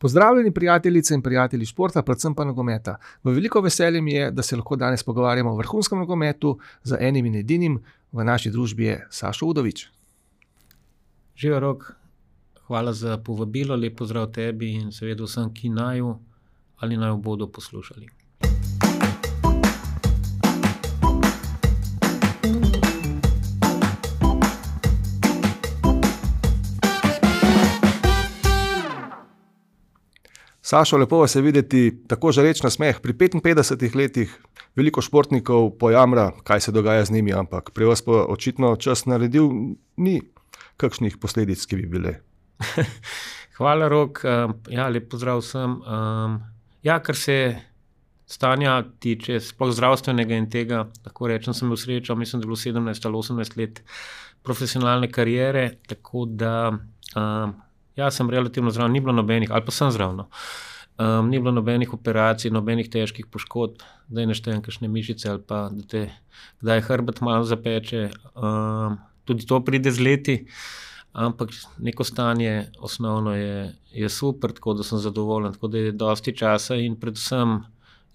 Pozdravljeni prijateljice in prijatelji športa, predvsem pa nogometa. V veliko veselje mi je, da se lahko danes pogovarjamo o vrhunskem nogometu z enim in edinim. V naši družbi je Sašo Udovič. Živijo, Rok, hvala za povabilo, lep pozdrav tebi in seveda vsem, ki naju ali naju bodo poslušali. Sašo, lepo vas je videti, tako žareč nasmeh. Pri 55 letih veliko športnikov pojamra, kaj se dogaja z njimi, ampak pri vas pa očitno čas naredil ni kakšnih posledic, ki bi bile. Hvala, Rok. Lep pozdrav vsem. Kar se stanja tiče, sploh zdravstvenega in tega, lahko rečem, sem imel srečo, mislim, da je bilo 17 ali 18 let profesionalne kariere, tako da sem relativno zdrav, ni bilo nobenih, ali pa sem zdrav, no. Ni bilo nobenih operacij, nobenih težkih poškodb, da ne štejem kakšne mišice ali pa da te kdaj hrbet malo zapeče. Tudi to pride z leti, ampak neko stanje osnovno je super, tako da sem zadovoljen, tako da je dosti časa in predvsem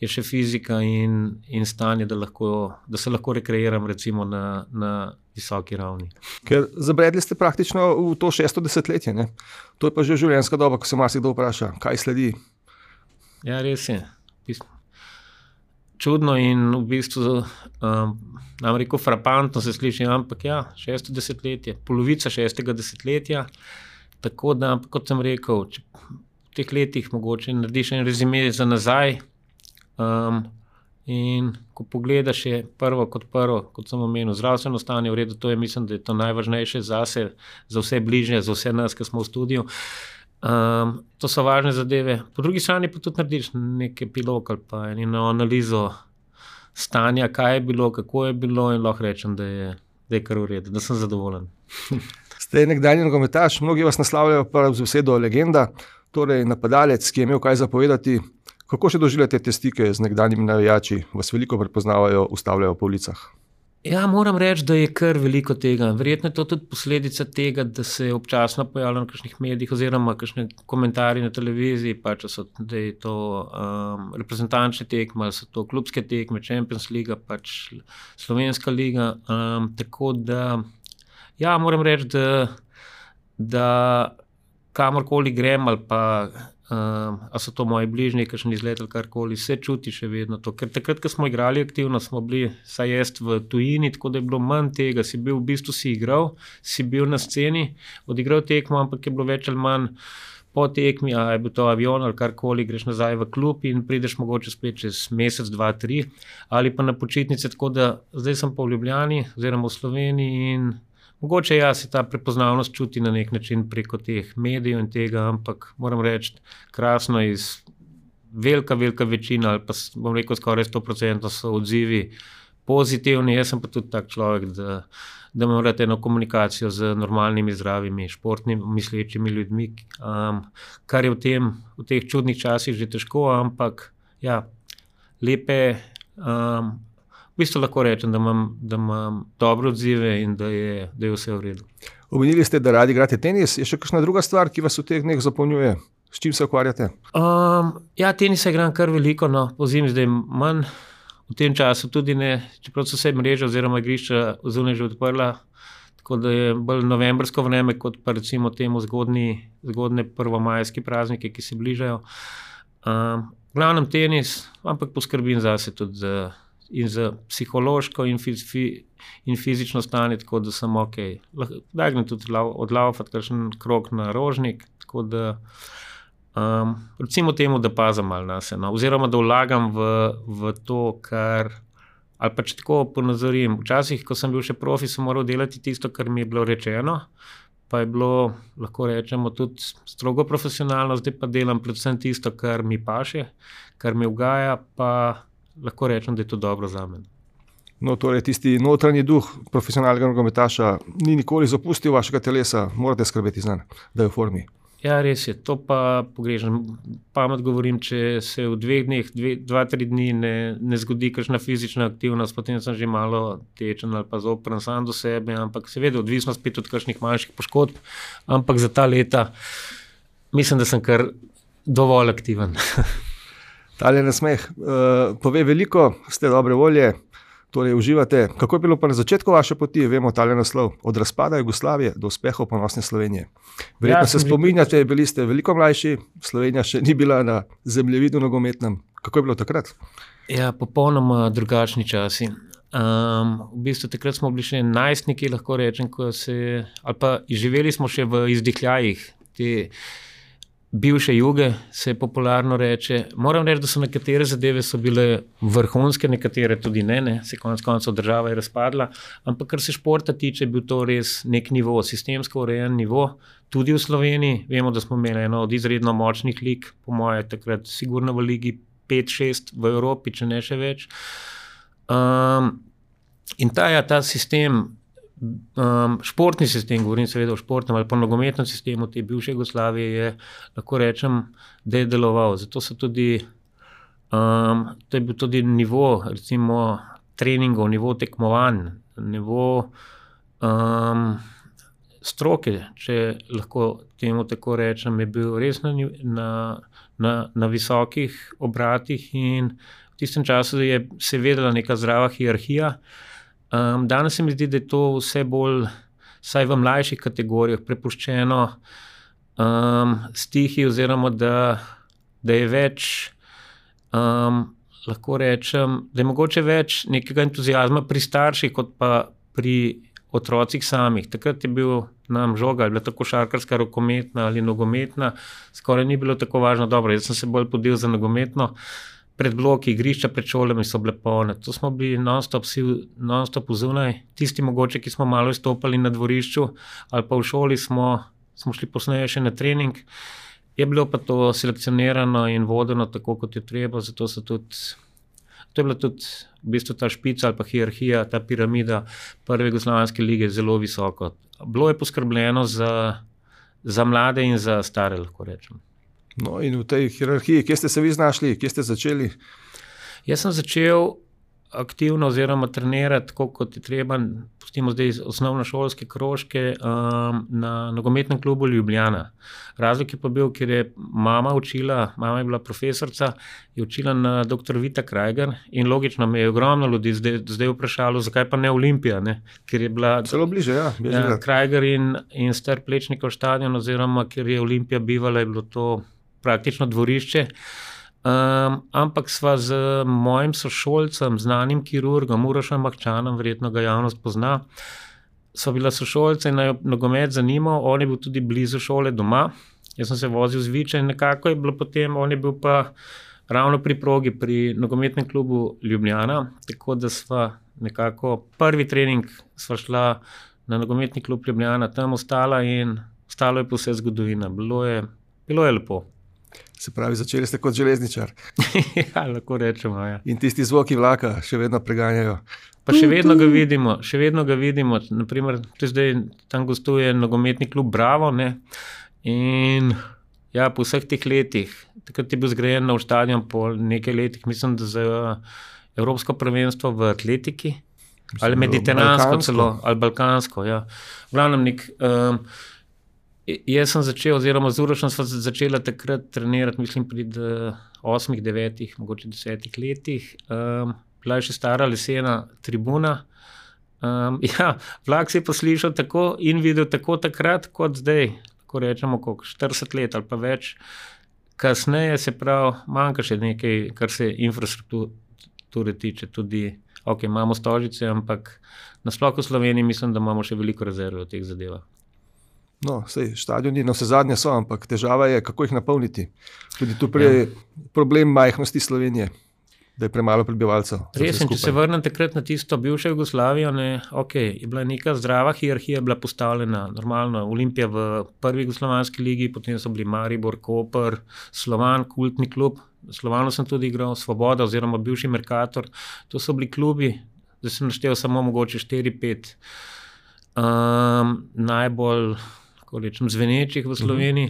je še fizika in stanje, da se lahko rekreiram recimo na visoki ravni. Ker zabredli ste praktično v to 6. desetletje, ne? To je pa že življenjska doba, ko se marsikdo vpraša, kaj sledi. Ja, res je. Čudno in v bistvu, nam rekel, frapantno se sliši, ampak 6. desetletje, polovica 6. desetletja, tako da, kot sem rekel, če v teh letih mogoče narediš en rezime za nazaj, in ko pogledaš je prvo, kot sem omenil, zdravstveno stanje v redu, to je, mislim, da je to najvažnejše zase, za vse bližnje, za vse nas, ki smo v studiu. To so važne zadeve. Po drugi strani pa tudi narediš nek epilog ali pa eno analizo stanja, kaj je bilo, kako je bilo in lahko rečem, da je kar v redu, da sem zadovoljen. Ste nekdanji nogometaš, mnogi vas naslavljajo pa z besedo legenda, torej napadalec, ki je imel kaj zapovedati. Kako še doživljate te stike z nekdanjimi navijači? Vas veliko prepoznavajo, ustavljajo po ulicah? Moram reči, da je kar veliko tega. Verjetno je to tudi posledica tega, da se je občasno pojavljalo na kakšnih medijih oziroma kakšne komentarji na televiziji, da je to reprezentančne tekme, ali so to klubske tekme, Champions Liga, Slovenska liga. Tako da, moram reči, da kamorkoli grem ali pa a so to moji bližnji, kakšen izlet ali karkoli, se čuti še vedno to. Ker takrat, ko smo igrali aktivno, smo bili, saj jaz v tujini, tako da je bilo manj tega, si igral, si bil na sceni, odigral tekmo, ampak je bilo več ali manj po tekmi, a je bil to avion ali karkoli, greš nazaj v klub in prideš mogoče spet čez mesec, 2, 3, ali pa na počitnice, tako da zdaj sem pa v Ljubljani oziroma v Sloveniji in mogoče se ta prepoznavnost čuti na nek način preko teh medijev in tega, ampak moram reči, krasno velika večina, ali pa bom rekel skoraj 100% so odzivi pozitivni. Jaz sem pa tudi tak človek, da imam rad eno komunikacijo z normalnimi, zdravimi, športnimi, mislečimi ljudmi, kar je v teh čudnih časih že težko, ampak lepe, v bistvu lahko rečem, da imam dobre odzive in da je vse v redu. Omenili ste, da radi igrate tenis. Je še kakšna druga stvar, ki vas v teh dneh zapolnjuje? S čim se ukvarjate? Tenisa igram kar veliko, no, pozimi zdaj manj. V tem času tudi ne, čeprav so se mreže oziroma igrišča zunaj že odprla, tako da je bolj novembrsko vreme, kot pa recimo temu zgodne prvomajski praznike, ki se bližajo. Glavnem tenis, ampak poskrbim zase tudi in za psihološko in fizično stanje, tako da sem okej. Daj grem tudi odlaufati kakšen krog na Rožnik, tako da recimo temu, da pazim malo nase, no, oziroma da vlagam v to, kar, ali pa če tako ponazorim, včasih, ko sem bil še profi, sem moral delati tisto, kar mi je bilo rečeno, pa je bilo, lahko rečemo, tudi strogo profesionalno, zdaj pa delam predvsem tisto, kar mi paše, kar mi ugaja, pa lahko rečem, da je to dobro zame. No, torej tisti notranji duh profesionalnega nogometaša ni nikoli zapustil vašega telesa, morate skrbeti zanj, da je v formi. Res je, to pa pogrešam. Pamet govorim, če se v 2 dneh, 2-3 dni ne zgodi kakšna fizična aktivnost, potem sem že malo tečen ali pa zopren sam do sebe, ampak seveda odvisno spet od kakšnih manjših poškodb, ampak za ta leta mislim, da sem kar dovolj aktiven. Tale nasmeh pove veliko, ste dobre volje, torej uživate. Kako je bilo pa na začetku vaše poti, vemo tale naslov, od razpada Jugoslavije do uspehov ponosne Slovenije? Verjetno se spominjate, bili ste veliko mlajši, Slovenija še ni bila na zemljevidu nogometnem. Kako je bilo takrat? Ja, popolnoma drugačni časi. V bistvu takrat smo bili še najstniki, lahko rečem, ali pa živeli smo še v izdihljajih te bivše juge, se popularno reče. Moram reči, da so nekatere zadeve so bile vrhunske, nekatere tudi ne. Se konec koncev država je razpadla, ampak kar se športa tiče, je bil to res nek nivo, sistemsko urejen nivo, tudi v Sloveniji. Vemo, da smo imeli eno od izredno močnih lig, po moje takrat sigurno v ligi 5-6 v Evropi, če ne še več. In ta sistem, športni sistem, govorim seveda o športnem ali pa nogometnem sistemu te bivše Jugoslavije, je, lahko rečem, da je deloval. Zato so tudi, to je bil tudi nivo, recimo, treningov, nivo tekmovanj, nivo stroke, če lahko temu tako rečem, je bil res na visokih obratih in v tistem času se je vedela neka zdrava hierarhija. Danes se mi zdi, da je to vse bolj, vsaj v mlajših kategorijah, prepuščeno stihi oziroma da je več, lahko rečem, da je mogoče več nekega entuziazma pri starših kot pa pri otrocih samih. Takrat je bil nam žoga, je bila tako košarkarska, rokometna ali nogometna, skoraj ni bilo tako važno. Dobro, jaz sem se bolj podil za nogometno, pred bloki, igrišča pred šolami so bile polne. To smo bili non-stop zunaj. Tisti mogoče, ki smo malo izstopali na dvorišču ali pa v šoli, smo šli posneje še na trening. Je bilo pa to selekcionirano in vodeno tako, kot je treba, zato to je bila tudi v bistvu ta špica ali pa hierarhija, ta piramida prve jugoslovanske lige zelo visoko. Bilo je poskrbljeno za mlade in za stare, lahko rečem. No, in v tej hierarhiji, kje ste se vi znašli, kje ste začeli? Jaz sem začel aktivno oziroma trenirati, tako kot je treba, pustimo zdaj osnovnošolske krožke, na nogometnem klubu Ljubljana. Razlog je pa bil, ker je mama je bila profesorica, je učila na dr. Vita Krajger in logično me je ogromno ljudi zdaj vprašalo, zakaj pa ne Olimpija, ne? Ker je bila celo bliže, ja. Krajger in star Plečnikov stadion, oziroma ker je Olimpija bivala, je bilo to praktično dvorišče. Ampak sva z mojim sošolcem, znanim kirurgom, Urošem Mahčanom, verjetno ga javnost pozna, sva bila sošolca in nogomet zanimal, on je bil tudi blizu šole doma, jaz sem se vozil z Viča in nekako je bilo potem, on je bil pa ravno pri progi, pri nogometnem klubu Ljubljana, tako da sva nekako prvi trening sva šla na nogometni klub Ljubljana, tam ostala in ostalo je pa vse zgodovina, bilo je lepo. Se pravi, začeli ste kot železničar. Ja, lahko rečemo, ja. In tisti zvoki vlaka še vedno preganjajo. Pa še vedno ga vidimo, naprimer, zdaj tam gostuje nogometni klub Bravo, ne, in ja, po vseh teh letih, takrat je bil zgrajen nov stadion po nekaj letih, mislim, da za Evropsko prvenstvo v atletiki, ali mediteransko celo, ali balkansko, ja. V glavnem jaz sem začel, oziroma z Urošem sva začela takrat trenirati, mislim, pri 8, 9, mogoče 10 letih. Bila je še stara lesena tribuna. Ja, vlak se je poslišal tako in videl tako takrat, kot zdaj, ko rečemo, 40 let ali pa več. Kasneje se pravi, manjka še nekaj, kar se infrastrukture tiče, tudi, imamo Stožice, ampak nasploh v Sloveniji mislim, da imamo še veliko rezerve v teh zadevah. No, stadioni na vse zadnje so, ampak težava je, kako jih napolniti. Tudi tu problem majhnosti Slovenije, da je premalo prebivalcev. Res, če se vrnem takrat na tisto bivšo Jugoslavijo, je bila neka zdrava hierarhija, bila postavljena normalno, Olimpija v prvi jugoslovanski ligi, potem so bili Maribor, Koper, Slovan, kultni klub, Slovanu sem tudi igral, Svoboda oziroma bivši Mercator, to so bili klubi, da sem naštel samo mogoče 4-5 najbolj zvenečih v Sloveniji.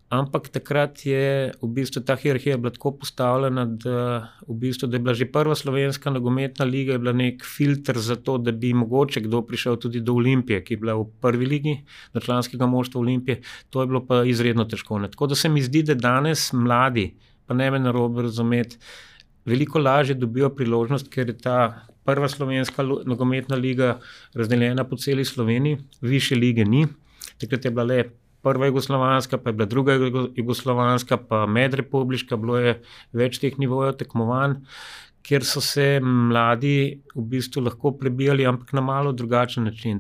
Ampak takrat je v bistvu ta hierarhija bila tako postavljena, da je bila že prva slovenska nogometna liga je bila nek filter za to, da bi mogoče kdo prišel tudi do Olimpije, ki je bila v prvi ligi, do članskega moštva Olimpije. To je bilo pa izredno težko. Tako da se mi zdi, da danes mladi, pa ne me narobe razumeti, veliko lažje dobijo priložnost, ker je ta prva slovenska nogometna liga razdeljena po celi Sloveniji, višje lige ni. Takrat je bila le prva jugoslovanska, pa je bila druga jugoslovanska, pa medrepubliška, bilo je več teh nivojev tekmovanj, kjer so se mladi v bistvu lahko prebijali, ampak na malo drugačen način.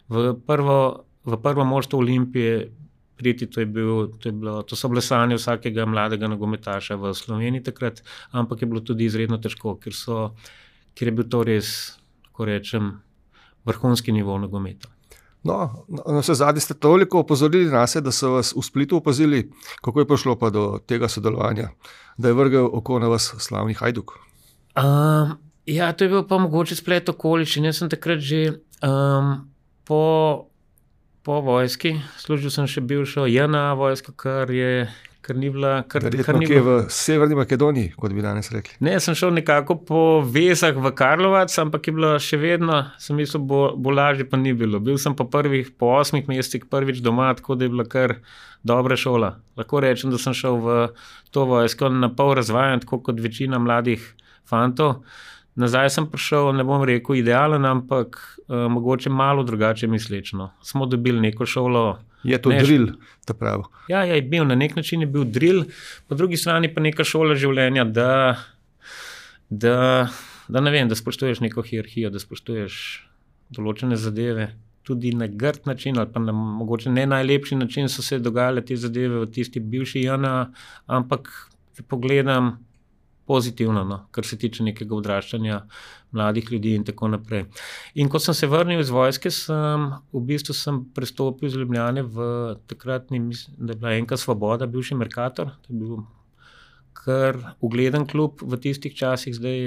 V prvo moštvo Olimpije priti, to so bile sanje vsakega mladega nogometaša v Sloveniji takrat, ampak je bilo tudi izredno težko, ker je bil to res, ko rečem, vrhunski nivo nogometa. No, na vse zadnje ste toliko opozorili nas, da so vas v Splitu opazili, kako je prišlo pa do tega sodelovanja, da je vrgel oko na vas slavni Hajduk? Ja, to je bil pa mogoče splet okoliščin. Jaz sem takrat že po vojski, služil sem še bivšo JNA vojsko, kar ni bila... Verjetno kje v Severni Makedoniji, kot bi danes rekli. Ne, sem šel nekako po vezah v Karlovac, ampak je bilo še vedno, sem mislil, bo lažje, pa ni bilo. Bil sem po 8 mesecih prvič doma, tako da je bila kar dobra šola. Lahko rečem, da sem šel v to vojsko na pol razvajan, tako kot večina mladih fantov. Nazaj sem prišel, ne bom rekel idealen, ampak mogoče malo drugače mislečno. Smo dobili neko šolo. Je to drill, ta pravi? Ja, je bil, na nek način je bil drill, po drugi strani pa neka šola življenja, da ne vem, da spoštuješ neko hierarhijo, da spoštuješ določene zadeve, tudi na grd način ali pa na mogoče ne najlepši način so se dogajale te zadeve v tisti bivši JNA, ampak pogledam pozitivno, no, kar se tiče nekega odraščanja mladih ljudi in tako naprej. In ko sem se vrnil iz vojske, sem prestopil iz Ljubljane v takratni, mislim, da je bila NK Svoboda, bivši Mercator, to je bil kar ugleden klub v tistih časih, zdaj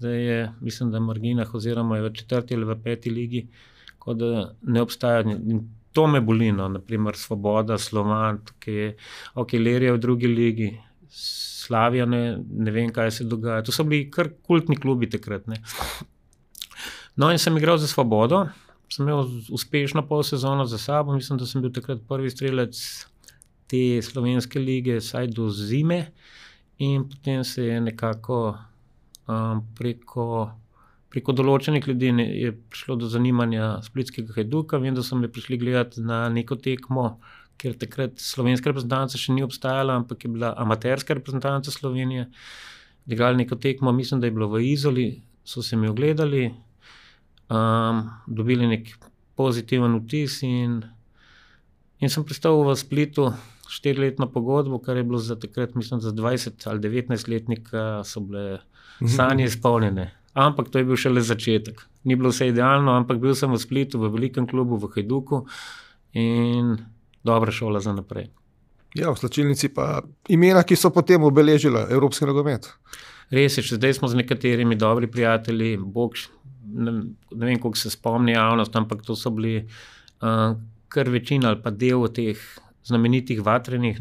je, mislim, da Marginah oziroma je v 4. ali v 5. ligi, kot da ne obstaja. In to me boli, no, naprimer Svoboda, Slovan, Lerija v 2. ligi, Slavija, ne vem, kaj se dogaja. To so bili kar kultni klubi takrat. Ne. No in sem igral za Svobodo, sem imel uspešno pol sezono za sabo, mislim, da sem bil takrat prvi strelec te slovenske lige, saj do zime, in potem se je nekako preko določenih ljudi je prišlo do zanimanja splitskega Hajduka. Vem, da so me prišli gledati na neko tekmo, ker takrat slovenska reprezentanca še ni obstajala, ampak je bila amaterska reprezentanca Slovenije. Igrali neko tekmo, mislim, da je bilo v Izoli, so se mi ogledali, dobili nek pozitiven vtis in sem pristal v Splitu 4-letno pogodbo, kar je bilo za takrat, mislim, za 20 ali 19-letnika so bile sanje izpolnjene. Ampak to je bil šele začetek. Ni bilo vse idealno, ampak bil sem v Splitu, v velikem klubu, v Hajduku in dobra šola za naprej. Ja, v slačilnici pa imena, ki so potem obeležila evropski nogomet. Res je, še zdaj smo z nekaterimi dobri prijatelji, ne vem, koliko se spomni javnost, ampak to so bili kar večina ali pa del teh znamenitih vatrenih,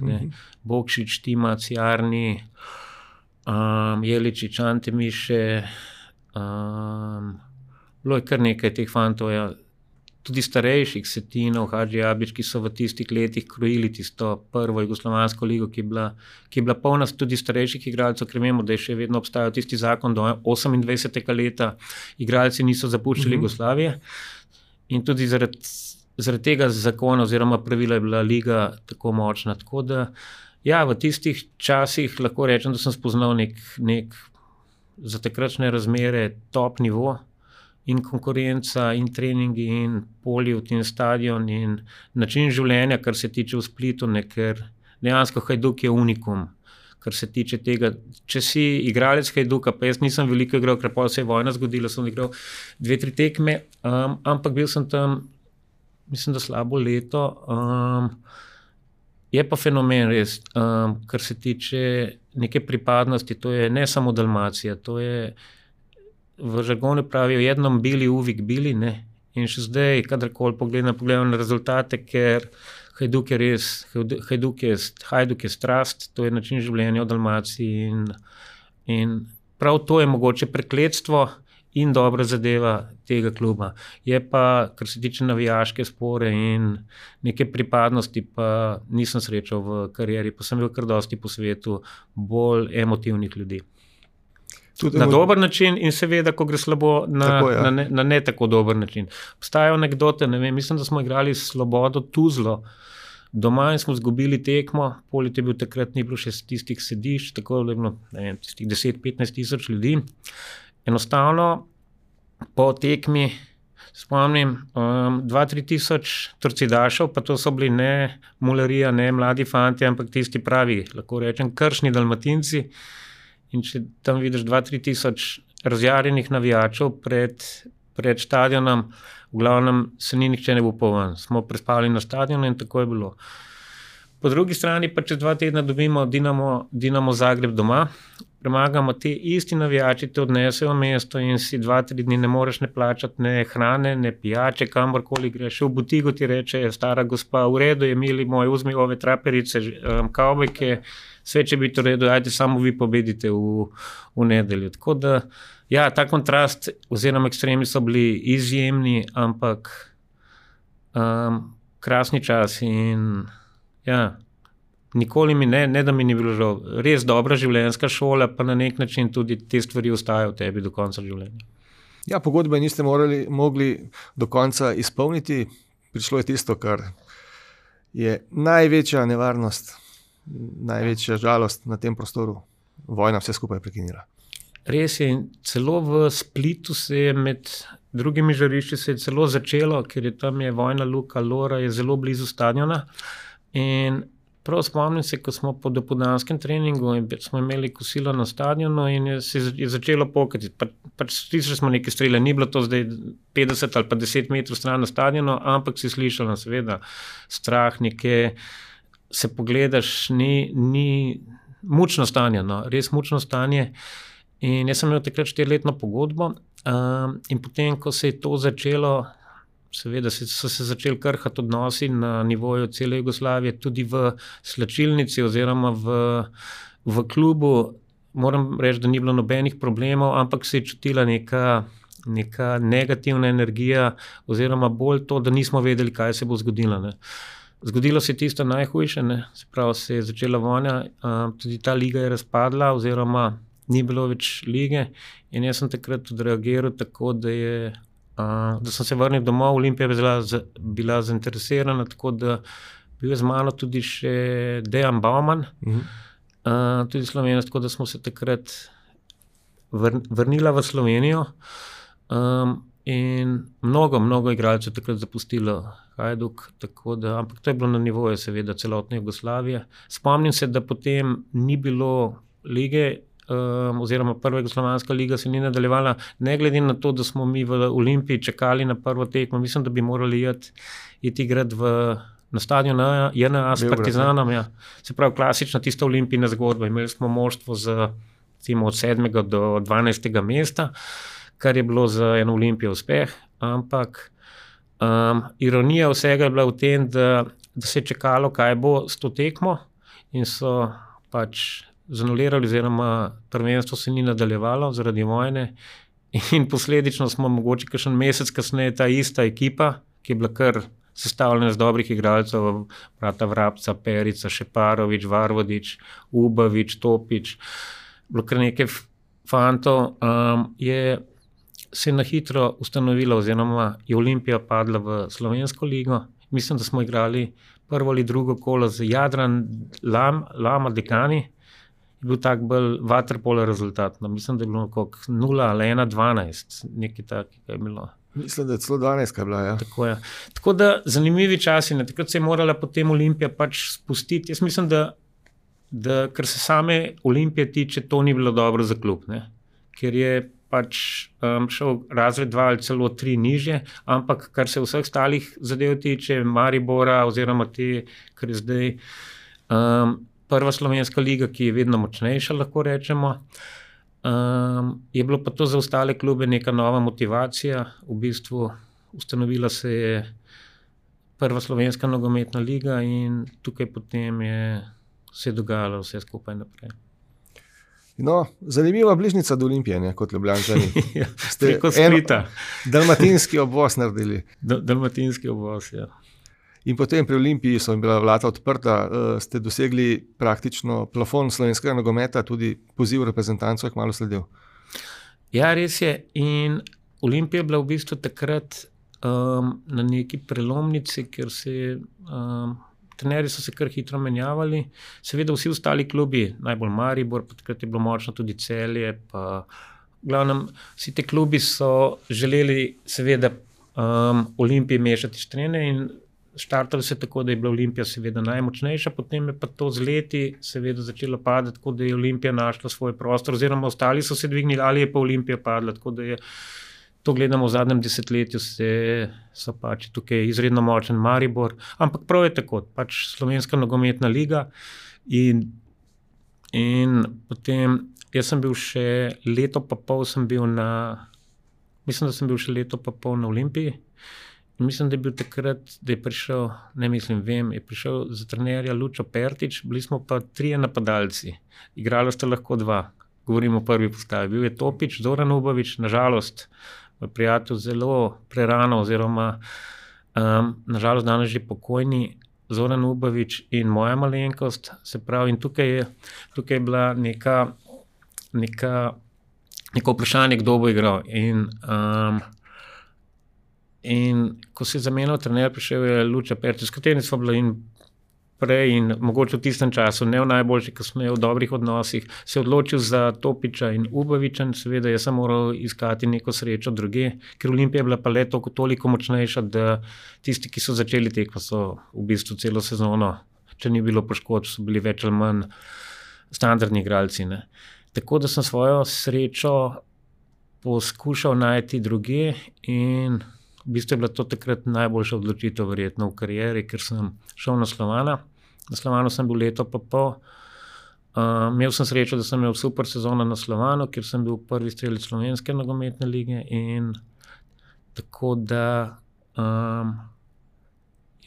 Bokšič, Tima, Ciarni, Jeličič, Ante Miše, bilo je kar nekaj teh fantov, ja. Tudi starejših, Setinov, Hadži Abič, ki so v tistih letih krojili tisto prvo jugoslovansko ligo, ki je bila polna tudi starejših igralcev, ker vemo, da je še vedno obstajal tisti zakon do 28. leta, igralci niso zapuščali Jugoslavije in tudi zaradi tega zakona oziroma pravila je bila liga tako močna. Tako da, ja, v tistih časih lahko rečem, da sem spoznal nek za takratne razmere top nivo, in konkurenca, in treningi, in Poliv, in stadion, in način življenja, kar se tiče v Splitu, ker dejansko Hajduk je unikum, kar se tiče tega. Če si igralec Hajduka, pa jaz nisem veliko igral, ker pa se je vojna zgodila, sem igral 2-3 tekme, ampak bil sem tam, mislim, da slabo leto. Je pa fenomen res, kar se tiče neke pripadnosti, to je ne samo Dalmacija, to je v žargonu pravijo jednom bili, uvijek bili, ne, In še zdaj, kadarkoli pogledam na rezultate, ker Hajduk je strast, to je način življenja v Dalmaciji in prav to je mogoče prekletstvo in dobra zadeva tega kluba. Je pa, kar se tiče navijaške spore in neke pripadnosti, pa nisem srečal v karieri, pa sem bil kar dosti po svetu bolj emotivnih ljudi. Tudi na dober način in seveda, ko gre slabo, na ne tako dober način. Obstajajo anekdote, ne vem, mislim, da smo igrali Slobodo Tuzlo doma in smo izgubili tekmo, polet je bil takrat, ni bilo še tistih sedišč, tako je bilo, ne vem, tistih 10-15 tisoč ljudi. Enostavno po tekmi, spomnim, 2-3 tisoč torcidašev, pa to so bili ne mularija, ne mladi fanti, ampak tisti pravi, lahko rečem, kršni Dalmatinci. In če tam vidiš 2-3 tisoč razjarjenih navijačev pred stadionom, v glavnem se ni nihče ne bo poven. Smo prespali na stadionu in tako je bilo. Po drugi strani pa čez 2 tedna dobimo Dinamo Zagreb doma, premagamo te isti navijači, te odnesejo v mesto in si 2-3 dni ne moreš ne plačati ne hrane, ne pijače, kamorkoli greš. V butigo ti reče stara gospa, v redu je, mili moj, vzmi ove traperice, kavbojke, sve će biti u redu, ajde samo vi pobedite u nedelju. Tako da, ja, ta kontrast oziroma ekstremi so bili izjemni, ampak krasni časi in ja, nikoli mi ne da mi ni bilo žal. Res dobra življenjska šola, pa na nek način tudi te stvari ostajajo v tebi do konca življenja. Ja, pogodbe niste mogli do konca izpolniti, prišlo je tisto, kar je največja nevarnost, največja žalost na tem prostoru. Vojna vse skupaj prekinila. Res je, celo v Splitu se je med drugimi žarišči se je celo začelo, ker je tam vojna luka Lora, je zelo blizu stadiona. In prav spomnim se, ko smo po dopoldanskem treningu in smo imeli kosilo na stadionu in je začelo pokati. Pač slišali smo neke strele, ni bilo to zdaj 50 ali pa 10 metrov stran na stadionu, ampak si slišali seveda strah, neke se pogledaš, ni mučno stanje, no, res mučno stanje. In jaz sem imel takrat 4-letno pogodbo in potem, ko se je to začelo, seveda so se začeli krhati odnosi na nivoju cele Jugoslavije, tudi v slačilnici oziroma v klubu, moram reči, da ni bilo nobenih problemov, ampak se je čutila neka negativna energija oziroma bolj to, da nismo vedeli, kaj se bo zgodilo, ne. Zgodilo se je tisto najhujše, ne, se pravi, se je začela vojna, tudi ta liga je razpadla oziroma ni bilo več lige in jaz sem takrat odreagiral tako, da sem se vrnil domov, Olimpija bila zainteresirana, tako da bil je z mano tudi še Dejan Bauman, tudi Slovenec, tako da smo se takrat vrnila v Slovenijo in mnogo igralcev takrat zapustilo Hajduk, tako da, ampak to je bilo na nivoju seveda celotne Jugoslavije. Spomnim se, da potem ni bilo lige, oziroma prva jugoslovanska liga se ni nadaljevala, ne glede na to, da smo mi v Olimpiji čakali na prvo tekmo, mislim, da bi morali iti igrati na stadion JNA s Partizanom, ja. Se pravi, klasična tista olimpijna zgodba, imeli smo moštvo od 7. do 12. mesta, kar je bilo za eno Olimpijo uspeh, ampak ironija vsega je bila v tem, da se je čakalo, kaj bo s to tekmo in so pač zanulirali oziroma prvenstvo se ni nadaljevalo zaradi vojne in posledično smo mogoče kakšen mesec kasneje ta ista ekipa, ki je bila kar sestavljena z dobrih igralcev, brata Vrabca, Perica, Šeparović, Varvodić, Ubavić, Topić, bilo kar nekaj fantov, se je na hitro ustanovila oziroma je Olimpija padla v Slovensko ligo. Mislim, da smo igrali prvo ali drugo kolo z Jadran Lama Dekani, je bil tak bolj vaterpolo rezultat. No, mislim, da je bilo koliko 0 ali 1-12, nekaj takega je bilo. Mislim, da je celo 12 bila, ja. Tako je. Tako da zanimivi časi, ne. Takrat se je morala potem Olimpija pač spustiti. Jaz mislim, da kar se same Olimpije tiče, to ni bilo dobro za klub, ne. Ker je pač šel razred 2 ali celo 3 nižje, ampak kar se vseh ostalih zadev tiče, Maribora oziroma kar je zdaj prva slovenska liga, ki je vedno močnejša, lahko rečemo, je bilo pa to za ostale klube neka nova motivacija, v bistvu ustanovila se je prva slovenska nogometna liga in tukaj potem se je dogajalo vse skupaj naprej. No, zanimiva bližnica do Olimpije, ne, kot Ljubljančani. Ste preko Splita. Dalmatinski obvoz naredili. Dalmatinski obvoz, ja. In potem pri Olimpiji so bila vrata odprta, ste dosegli praktično plafon slovenskega nogometa, tudi poziv reprezentancov je kmalu sledil. Ja, res je. In Olimpija je bila v bistvu takrat na neki prelomnici, ker trenerji so se kar hitro menjavali. Seveda vsi ostali klubi, najbolj Maribor, pa takrat je bilo močno tudi Celje, pa v glavnem vsi te klubi so želeli seveda Olimpiji mešati štrene in štartali se tako, da je bila Olimpija seveda najmočnejša, potem je pa to z leti seveda začelo padati, tako da je Olimpija našla svoj prostor, oziroma ostali so se dvignili, ali je pa Olimpija padla, tako da je to gledamo v zadnjem desetletju, so pač tukaj izredno močen Maribor, ampak prav je tako, pač slovenska nogometna liga in potem jaz sem bil še leto pa pol mislim, da sem bil še leto pa pol na Olimpiji. Mislim, da je bil takrat, da je prišel, je prišel za trenerja Lučo Pertič, bili smo pa 3 napadalci, igralo sta lahko 2, govorimo o prvi postavi. Bil je Topič, Zoran Ubovič, nažalost, moj prijatelj zelo prerano, oziroma nažalost danes že pokojni Zoran Ubovič in moja malenkost, se pravi, in tukaj je bila neko vprašanje, kdo bo igral. In ko se je zamenjal trener, prišel je Luča Pertič, s katerim smo bili in prej in mogoče v tistem času, ne v najboljši, kasneje v dobrih odnosih, se je odločil za Topiča in Uboviča, seveda jaz sem moral iskati neko srečo druge, ker Olimpija je bila pa le toliko močnejša, da tisti, ki so začeli tekmo, so v bistvu celo sezono, če ni bilo poškodb, so bili več ali manj standardni igralci, ne. Tako da sem svojo srečo poskušal najti druge in v bistvu je bila to takrat najboljša odločitev verjetno v karieri, ker sem šel na Slovana. Na Slovanu sem bil leto pa pol. Imel sem srečo, da sem imel super sezono na Slovanu, kjer sem bil prvi strelec slovenske nogometne lige in tako da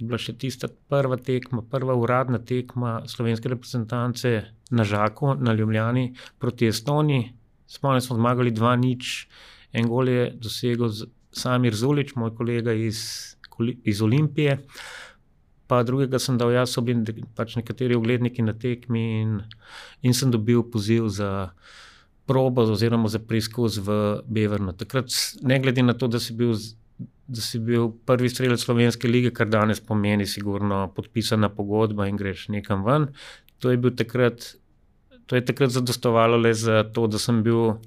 je bila še tista prva uradna tekma slovenske reprezentance na Žaku, na Ljubljani proti Estoniji. Spomnim, smo zmagali 2-0, en gol je dosegel Samir Zulić, moj kolega iz Olimpije, pa drugega sem dal jaz, so bili pač nekateri ugledniki na tekmi in sem dobil poziv za probo oziroma za preizkus v Bevernu. Takrat, ne glede na to, da si bil prvi strelec slovenske lige, kar danes pomeni sigurno podpisana pogodba in greš nekam ven, to je takrat zadostovalo le za to, da sem bil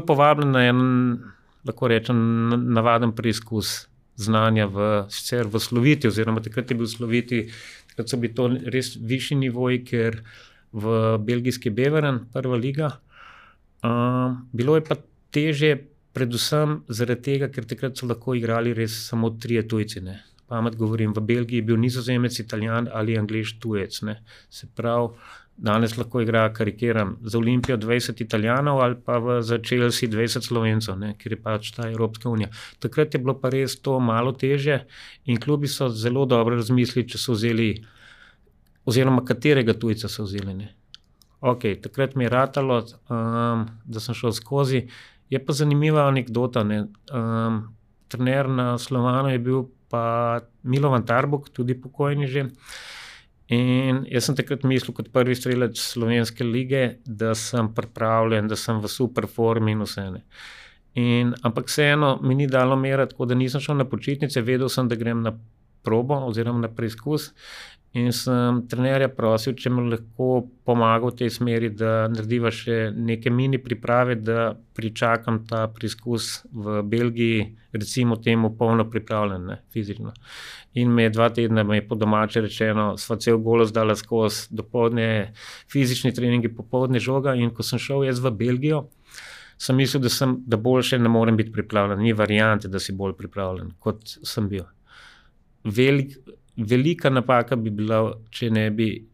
povabljen na en, lahko rečem, navaden preizkus znanja sicer v Sloviti, oziroma takrat je bil Sloviti, takrat so bili to res višji nivoji, ker v belgijski Beveren, prva liga. Bilo je pa težje, predvsem zaradi tega, ker takrat so lahko igrali res samo 3 tujci, ne. Pamet govorim, v Belgiji je bil Nizozemec, Italijan ali Anglež tujec, ne. Se pravi, danes lahko igra, karikiram, za Olimpijo 20 Italijanov ali pa za Chelsea 20 Slovencev, ne, ker je pač ta Evropska unija. Takrat je bilo pa res to malo težje in klubi so zelo dobro razmislili, če so vzeli, oziroma katerega tujca so vzeli, ne. Ok, takrat mi je ratalo, da sem šel skozi. Je pa zanimiva anekdota, ne. Trener na Slovanu je bil pa Milovan Tarbuk, tudi pokojni že. In jaz sem takrat mislil kot prvi strelec slovenske lige, da sem pripravljen, da sem v super formi in vse, ne. Ampak vseeno mi ni dalo mera, tako da nisem šel na počitnice, vedel sem, da grem na probo oziroma na preizkus in sem trenerja prosil, če mi lahko pomaga v tej smeri, da narediva še neke mini priprave, da pričakam ta preizkus v Belgiji, recimo temu polno pripravljen, ne, fizično. In me je 2 tedna, me je po domače rečeno, sva cel golos dala skozi, dopoldne fizični treningi, popoldne žoga in ko sem šel jaz v Belgijo, sem mislil, da boljše ne morem biti pripravljen, ni variante, da si bolj pripravljen, kot sem bil. Velika napaka bi bila, če ne bi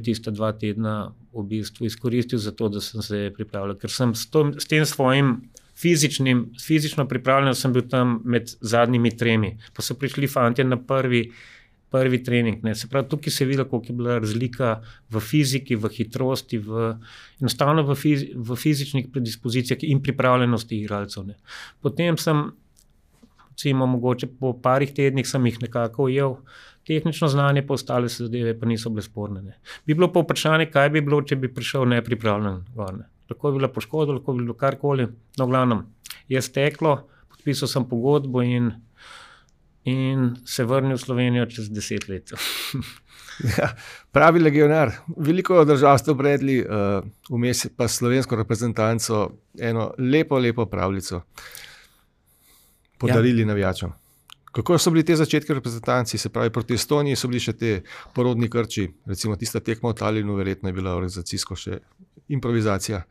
tista 2 tedna v bistvu izkoristil za to, da sem se pripravljal, ker sem s tem svojim fizično pripravljen sem bil tam med zadnjimi 3. Pa so prišli fantje na prvi trening. Ne. Se pravi, tukaj se je videlo, koliko je bila razlika v fiziki, v hitrosti, enostavno v fizičnih predispozicijah in pripravljenosti igralcev. Ne. Potem sem, recimo, mogoče po parih tednih sem jih nekako ujel, tehnično znanje, pa ostale zadeve pa niso bile sporne. Ne. Bi bilo pa vprašanje, kaj bi bilo, če bi prišel nepripravljen gor. Ne. Lahko bi bila poškodba, lahko bi bilo karkoli, no v glavnem je steklo, podpisal sem pogodbo in se vrnil v Slovenijo čez 10 let. Ja, pravi legionar. Veliko držav ste obredli, vmes pa slovensko reprezentanco eno lepo pravljico podarili navijačem. Kako so bili te začetki reprezentanci, se pravi proti Estoniji, so bili še te porodni krči, recimo tista tekma v Talinu, verjetno je bila organizacijsko še improvizacija.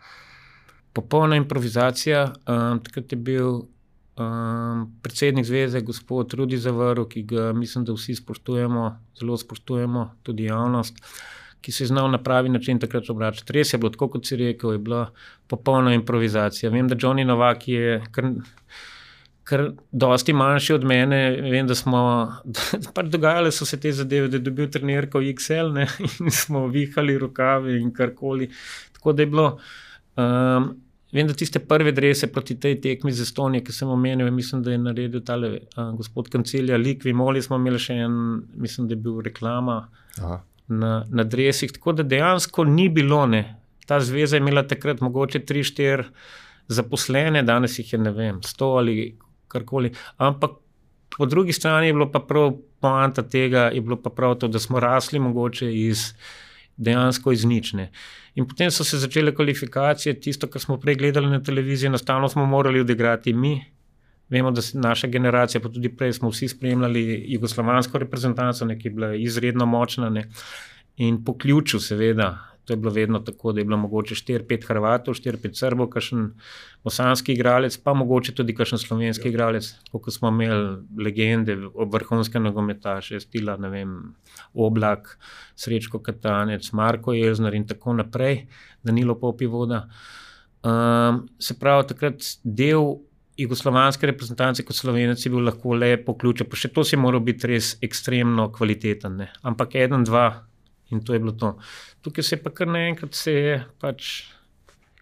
Popolna improvizacija, takrat je bil predsednik zveze, gospod Rudi Zavrl, ki ga mislim, da vsi spoštujemo, zelo spoštujemo, tudi javnost, ki se je znal na pravi način takrat obračati. Res je bilo, tako kot si rekel, je bila popolna improvizacija. Vem, da Johnny Novak je kar dosti manjši od mene, vem, da smo, pač dogajale so se te zadeve, da je dobil trenerko XL, ne, in smo vihali rokave in karkoli. Tako da je bilo, vem, da tiste prve drese proti tej tekmi z Estonije, ki sem omenil, mislim, da je naredil tale gospod Kancelja Likvi, Moli smo imeli še en, mislim, da je bil reklama na dresih, tako da dejansko ni bilo, ne. Ta zveza je imela takrat mogoče 3-4 zaposlene, danes jih je, ne vem, 100 ali karkoli, ampak po drugi strani je bilo pa prav poanta tega, je bilo pa prav to, da smo rasli mogoče dejansko iz nič, ne. In potem so se začele kvalifikacije, tisto, kar smo prej gledali na televiziji, enostavno smo morali odigrati mi. Vemo, da naša generacija, pa tudi prej smo vsi spremljali jugoslovansko reprezentanco, ki je bila izredno močna, ne. In po ključu seveda, to je bilo vedno tako, da je bilo mogoče 4-5 Hrvatov, 4-5 Srbov, kakšen bosanski igralec, pa mogoče tudi kakšen slovenski igralec, kot smo imeli legende, vrhunske nogometaše, stila, ne vem, Oblak, Srečko Katanec, Marko Elznar in tako naprej, Danilo Popivoda. Se pravi, takrat del jugoslovanske reprezentance kot Slovenec je bil lahko le po ključu, pa še to si moral biti res ekstremno kvaliteten, ne. Ampak 1-2 in to je bilo to. Tukaj se pa kar naenkrat pač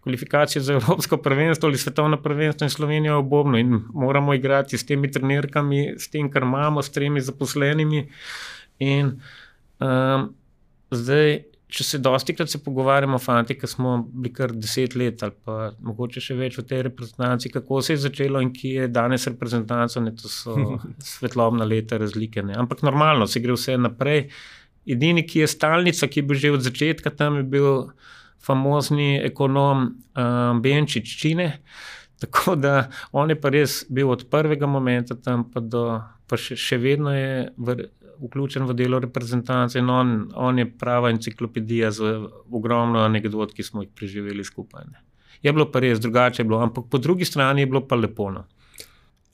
kvalifikacije za evropsko prvenstvo ali svetovno prvenstvo in Slovenija obobno in moramo igrati s temi trenerkami, s tem, kar imamo, s 3 zaposlenimi in zdaj, če se dostikrat se pogovarjamo fanti, ki smo bili kar 10 let ali pa mogoče še več v tej reprezentanci, kako se je začelo in ki je danes reprezentanco, ne, to so svetlobna leta razlike, ne, ampak normalno, se gre vse naprej. Edini, ki je stalnica, ki je bil že od začetka, tam je bil famozni ekonom Benčič Čine, tako da on je pa res bil od prvega momenta tam pa še vedno je vključen v delo reprezentance in on je prava enciklopedija z ogromno anekdot, ki smo jih preživeli skupaj. Ne. Je bilo pa res, drugače je bilo, ampak po drugi strani je bilo pa lepo. No.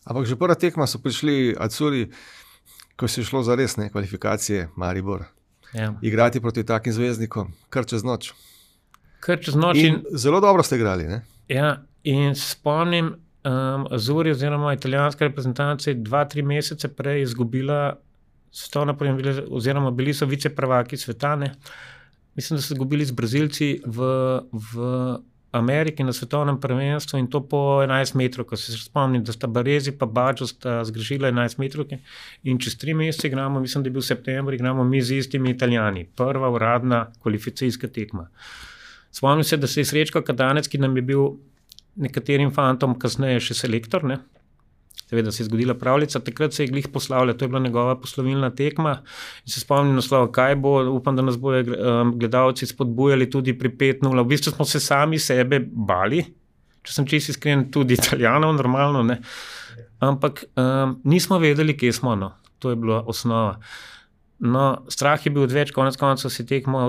Ampak že prva tekma so prišli Acuri, ko se je šlo za resne kvalifikacije Maribor. Ja. Igrati proti takim zvezdnikom, kar čez noč. In zelo dobro ste igrali, ne? Ja, in spomnim, Azuri oziroma italijanska reprezentanca 2-3 mesece prej izgubila svetovno prvenstvo, oziroma bili so viceprvaki sveta, ne. Mislim, da so izgubili z Brazilci v Ameriki na svetovnem prvenstvu in to po 11 metrov, ko se spomnim, da sta Baresi pa Baggio sta zgrešila 11 metrovke in čez 3 mesece igramo, mislim, da je bil september, igramo mi z istimi Italijani. Prva uradna kvalifikacijska tekma. Spomnim se, da se je Srečko Katanec, ki nam je bil nekaterim fantom kasneje še selektor, ne. Seveda se je zgodila pravljica, takrat se je glih poslavljal, to je bila njegova poslovilna tekma in se spomnim naslova, kaj bo, upam, da nas bojo gledalci spodbujali tudi pri 5-0. V bistvu smo se sami sebe bali, če sem čisto iskren, tudi Italijanov, normalno, ne. Ampak nismo vedeli, kje smo, no. To je bila osnova. No, strah je bil odveč, konec koncev se tekmo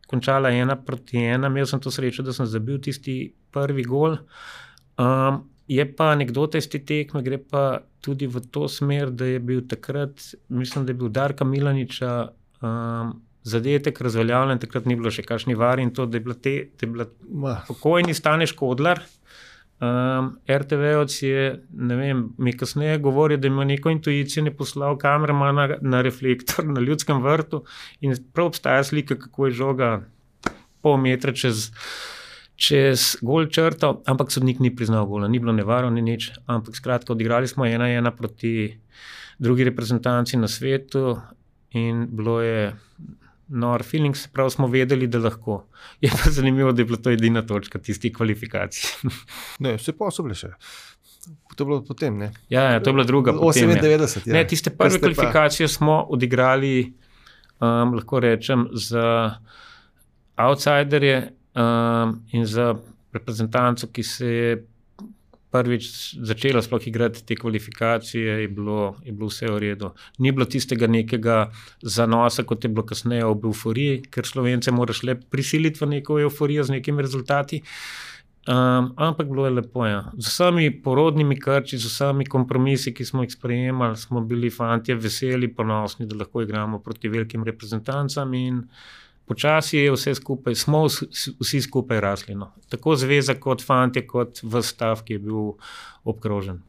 končala 1-1, imel sem to srečo, da sem zabil tisti prvi gol. Je pa anekdota iz te tekme, gre pa tudi v to smer, da je bil takrat, mislim, da je bil Darka Milaniča zadetek razveljavljen, takrat ni bilo še kakšni var in to, da je bila pokojni Stane Škodlar, RTV-ovc je, ne vem, mi kasneje govori, da ima neko intuicijo, ne poslal kameramana na reflektor na Ljudskem vrtu in prav obstaja slika, kako je žoga pol metra čez gol črto, ampak sodnik ni priznal gola, ni bilo nevarno, ni nič, ampak skratka odigrali smo 1-1 proti drugi reprezentanci na svetu in bilo je nor feelings, prav smo vedeli, da lahko. Je pa zanimivo, da je bila to edina točka tistih kvalifikacij. Ne, vse pa so bile še. To je bilo potem, ne? Ja, to je bila druga potem. 98, ja. Ne, tiste prve kvalifikacije smo odigrali, lahko rečem, za outsiderje in za reprezentanco, ki se je prvič začela sploh igrati te kvalifikacije, je bilo vse v redu. Ni bilo tistega nekega zanosa, kot je bilo kasneje ob euforiji, ker Slovence moraš le prisiliti v neko euforijo z nekimi rezultati. Ampak bilo je lepo, ja. Z vsemi porodnimi krči, z vsemi kompromisi, ki smo jih sprejemali, smo bili fantje veseli, ponosni, da lahko igramo proti velikim reprezentancam in počasi je vse skupaj, smo vsi skupaj rasli. No. Tako zveza kot fantje, kot ves stav, ki je bil obkrožen.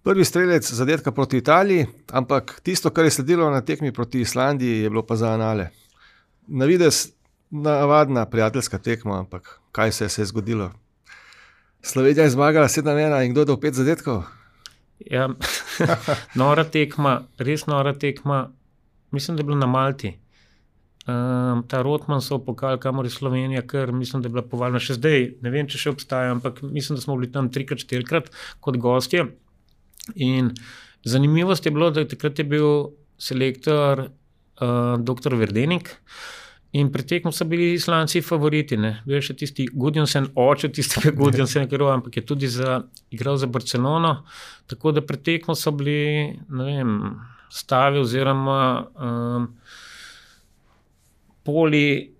Prvi strelec zadetka proti Italiji, ampak tisto, kar je sledilo na tekmi proti Islandiji, je bilo pa za anale. Na videz navadna prijateljska tekma, ampak kaj se je zgodilo? Slovenija je zmagala 7-1 in kdo je dal 5 zadetkov? Ja, nora tekma, res nora tekma, mislim, da je bila na Malti. Ta Rotmansov pokal, kamor je Slovenija, ker mislim, da je bila povaljena še zdaj, ne vem, če še obstaja, ampak mislim, da smo bili tam 3-4 kot gostje. In zanimivost je bilo, da takrat je bil selektor dr. Verdenik in pri tekmu so bili Islandci favoriti. Ne. Bil je še tisti Gudjonsen, oče tistega Gudjonsena, ampak je tudi igral za Barcelono, tako da pri tekmu so bili, ne vem, stavi oziroma poli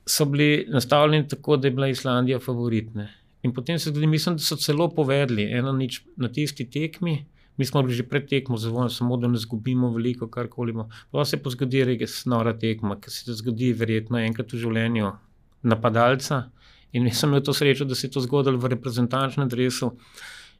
so bili nastavljeni tako, da je bila Islandija favoritne. In potem se tudi, mislim, da so celo povedali 1-0 na tisti tekmi, mi smo bili že pred tekmo zadovoljni, samo da ne zgubimo veliko, karkoli. Pa se pa zgodi res nora tekma, ki se zgodi verjetno enkrat v življenju napadalca in sem imel to srečo, da se je to zgodilo v reprezentančnem dresu.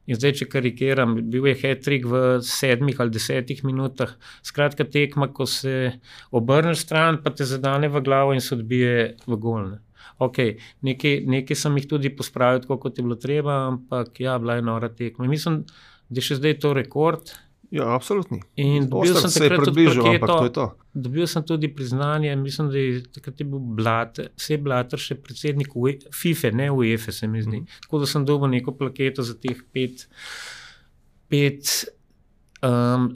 In zdaj, če karikiram, bil je hat-trick v 7 ali 10 minutah. Skratka tekma, ko se obrneš stran, pa te zadane v glavo in se odbije v gol. Ok, nekaj sem jih tudi pospravil, tako kot je bilo treba, ampak ja, bila je nora tekma. Mislim, da je še zdaj to rekord. Ja, absolutni. In dobil sem takrat tudi parketo, dobil sem tudi priznanje, mislim, da je takrat je bil Blatter še predsednik FIFA, ne UEFA, se mi zdi. Tako da sem dobil neko plaketo za teh 5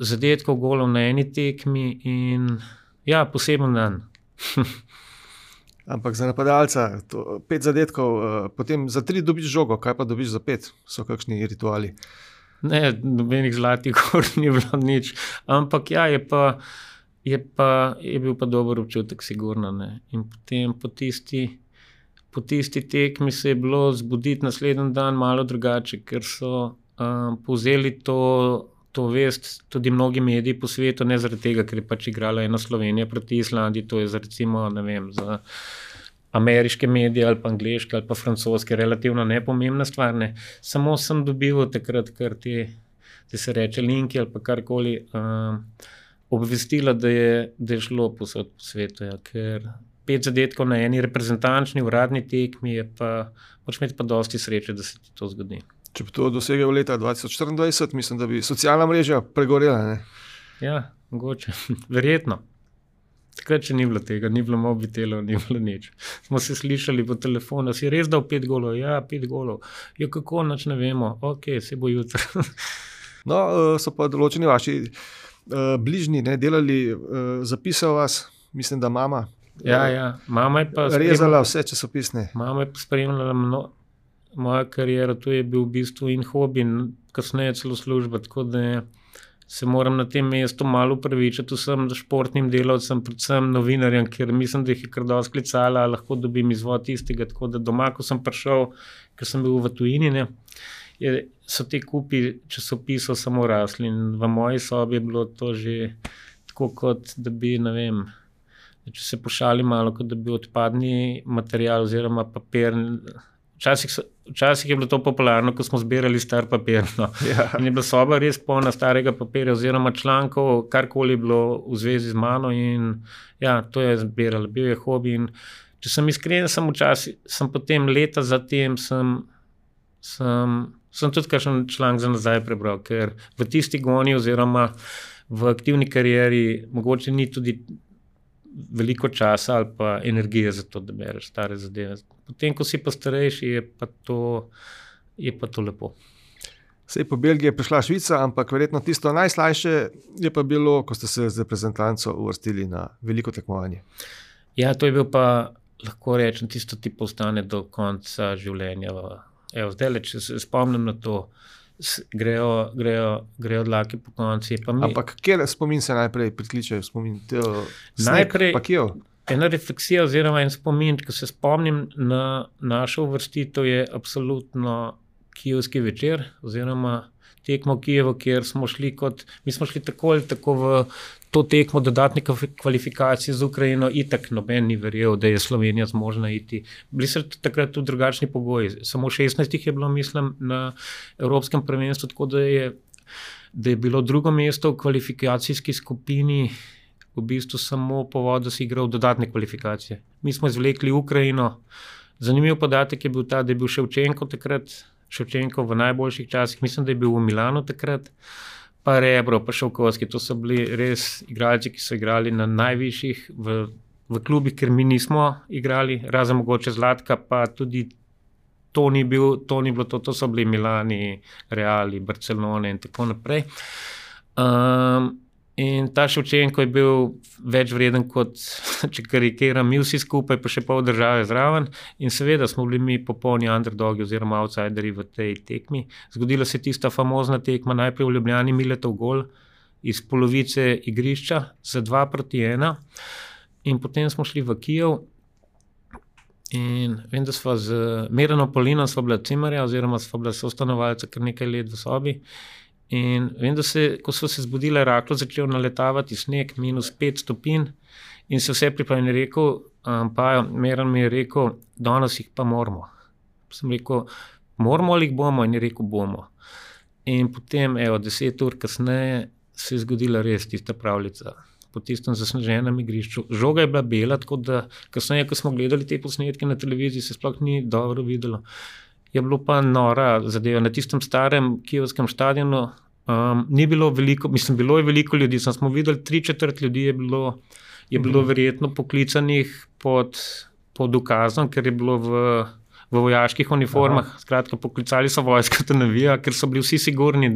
zadetkov golov na eni tekmi in ja, poseben dan. Ampak za napadalca 5 zadetkov, potem za 3 dobiš žogo, kaj pa dobiš za 5? So kakšni rituali? Ne, nobenih zlatih gor ni bilo nič, ampak ja, je bil pa dober občutek, sigurno. Ne. In potem po tisti tekmi se je bilo zbuditi naslednji dan malo drugače, ker so povzeli to vest tudi mnogi mediji po svetu, ne zaradi tega, ker je pač igrala ena Slovenija proti Islandiji, to je za recimo, ne vem, za ameriške medije ali pa angleške ali pa francoske, relativno nepomembna stvar. Ne. Samo sem dobival takrat, ker te se reče linki ali pa karkoli, obvestila, da je šlo posod po svetu, ja, ker 5 zadetkov na eni reprezentančni uradni tekmi je pa, moraš imeti pa dosti sreče, da se ti to zgodi. Če bi to dosegel leta 2024, mislim, da bi socialna mreža pregorela, ne? Ja, mogoče, verjetno. Takrat, če ni bilo tega, ni bilo mobitelov, ni bilo nič. Smo se slišali po telefonu, si res dal 5 golov? Ja, 5 golov. Ja, kako, nič ne vemo. Ok, se bo jutro. No, so pa določeni vaši bližnji, ne, delali, zapisal vas, mislim, da mama. Ja, mama je pa rezala vse časopisne. Mama je pa spremljala moja kariera, to je bil v bistvu in hobi, kasneje celo služba, tako da se moram na tem mestu malo upravičiti vsem športnim delavcem, predvsem novinarjem, ker mislim, da jih je kar dosti klicala, lahko dobim izvod istega, tako da doma, ko sem prišel, ker sem bil v tujini, ne, so te kupi časopisov samo rasli in v moji sobi je bilo to že tako kot, da bi, ne vem, če se pošali malo, kot da bi odpadni material oziroma papir Včasih je bilo to popularno, ko smo zbirali star papir. No. Ja. In je bila soba res polna starega papirja oziroma člankov, karkoli je bilo v zvezi z mano in ja, to je zbirala, bil je hobi in če sem iskren, sem potem leta zatem sem tudi kakšen članek za nazaj prebral, ker v tisti goni oziroma v aktivni karieri mogoče ni tudi veliko časa ali pa energije za to, da bereš stare zadeve. Potem, ko si pa starejši, je pa to lepo. Sej po Belgiji je prišla Švica, ampak verjetno tisto najslajše je pa bilo, ko ste se z reprezentanco uvrstili na veliko tekmovanje. Ja, to je bil pa, lahko rečem, tisto ti postane do konca življenja. Evo, zdaj, če se spomnim na to, grejo dlake po konci. Ampak kjer spomin se najprej prikliče? Najprej ena refleksija oziroma en spomin, ko se spomnim na našo uvrstitev, je absolutno kijevski večer oziroma tekmo v Kijevu, kjer smo šli mi smo šli tako ali tako v to tekmo dodatne kvalifikacije z Ukrajino, itak noben ni verjel, da je Slovenija zmožna iti. Bili so takrat tudi drugačni pogoji. Samo 16 je bilo, mislim, na Evropskem prvenstvu, tako da je bilo drugo mesto v kvalifikacijski skupini v bistvu samo povod, da si igral dodatne kvalifikacije. Mi smo izvlekli Ukrajino. Zanimiv podatek je bil ta, da je bil Ševčenko v najboljših časih, mislim, da je bil v Milanu takrat, pa Rebro, pa Šovkovski, to so bili res igralci, ki so igrali na najvišjih v klubih, ker mi nismo igrali, razen mogoče Zlatka, pa tudi to ni bilo to so bili Milani, Reali, Barcelone in tako naprej. In ta Ševčenko je bil več vreden kot, če karikiram, mi vsi skupaj, pa še pol države zraven. In seveda smo bili mi popolni underdogi oziroma outsideri v tej tekmi. Zgodila se tista famozna tekma, najprej v Ljubljani Miletov gol iz polovice igrišča za 2-1. In potem smo šli v Kijev in vem, da sva z Miranom Polinom sva bila cimarja oziroma sva bila sostanovalca kar nekaj let v sobi. In vem, da ko so se zbudile, rahlo začel naletavati sneg, -5 stopinj in se vse pripravljeno je rekel, Meran mi je rekel, danes jih pa moramo. Sem rekel, moramo ali jih bomo? In je rekel, bomo. In potem, 10 ur kasneje se je zgodila res tista pravljica. Po tistem zasneženem igrišču. Žoga je bila bela, tako da kasneje, ko smo gledali te posnetke na televiziji, se sploh ni dobro videlo. Je bilo pa nora zadeva. Na tistem starem kijevskem stadionu ni bilo veliko, mislim, bilo je veliko ljudi, smo videli 3/4 ljudi je bilo verjetno poklicanih pod ukazom, ker je bilo v vojaških uniformah. Aha. Skratka, poklicali so vojsko, da navija, ker so bili vsi sigurni,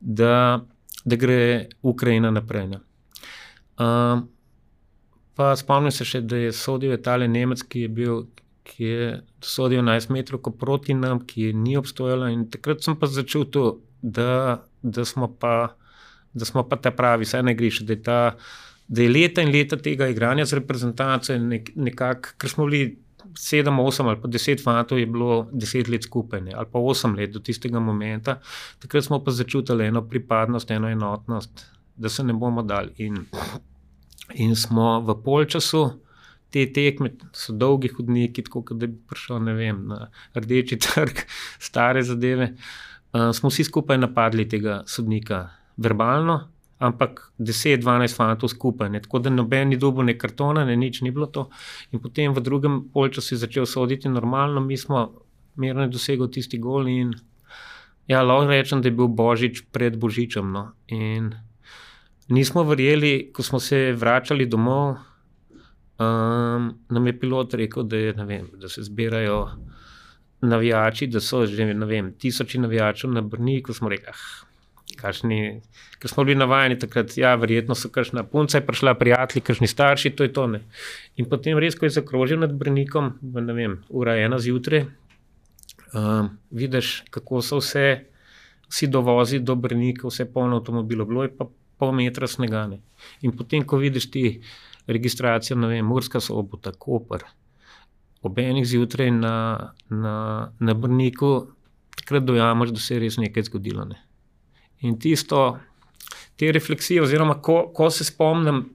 da gre Ukrajina naprej. Pa spomnim se še, da je sodil tale Nemec, ki je sodil 11 metrov proti nam, ki ni obstojala in takrat sem pa začel to, da smo pa ta pravi, saj ne griš, da je leta in leta tega igranja z reprezentanco nekako, ker smo bili 7, 8 ali pa 10 fantov je bilo 10 let skupaj, ali pa 8 let do tistega momenta, takrat smo pa začutili eno pripadnost, eno enotnost, da se ne bomo dali in smo v polčasu te tekme, so dolgi hodniki, tako da bi prišel, ne vem, na Rdeči trg, stare zadeve, smo vsi skupaj napadli tega sodnika verbalno, ampak 10-12 fantov skupaj, tako da noben ni dobil ne kartona, ne nič ni bilo to. In potem v drugem polčasu je začel soditi normalno, mi smo Meran dosegel tisti gol in ja, lahko rečem, da je bil Božič pred Božičem. No. In nismo verjeli, ko smo se vračali domov, nam je pilot rekel, da se zbirajo navijači, da so že, tisoči navijačev na Brniku, smo rekli, ker smo bili navajeni takrat, ja, verjetno so kakšna punca je prišla, prijatelji, kakšni starši, to je to, ne. In potem res, ko je zakrožil nad Brnikom, 1:00 zjutraj, vidiš, kako so vsi dovozi do Brnika, vse polno avtomobilov, bilo je pa pol metra snega, ne. In potem, ko vidiš ti registracijo, Murska Sobota, Koper, ob 1:00 zjutraj na Brniku, takrat dojamaš, da se je res nekaj zgodilo. Ne. In te refleksije, oziroma ko se spomnim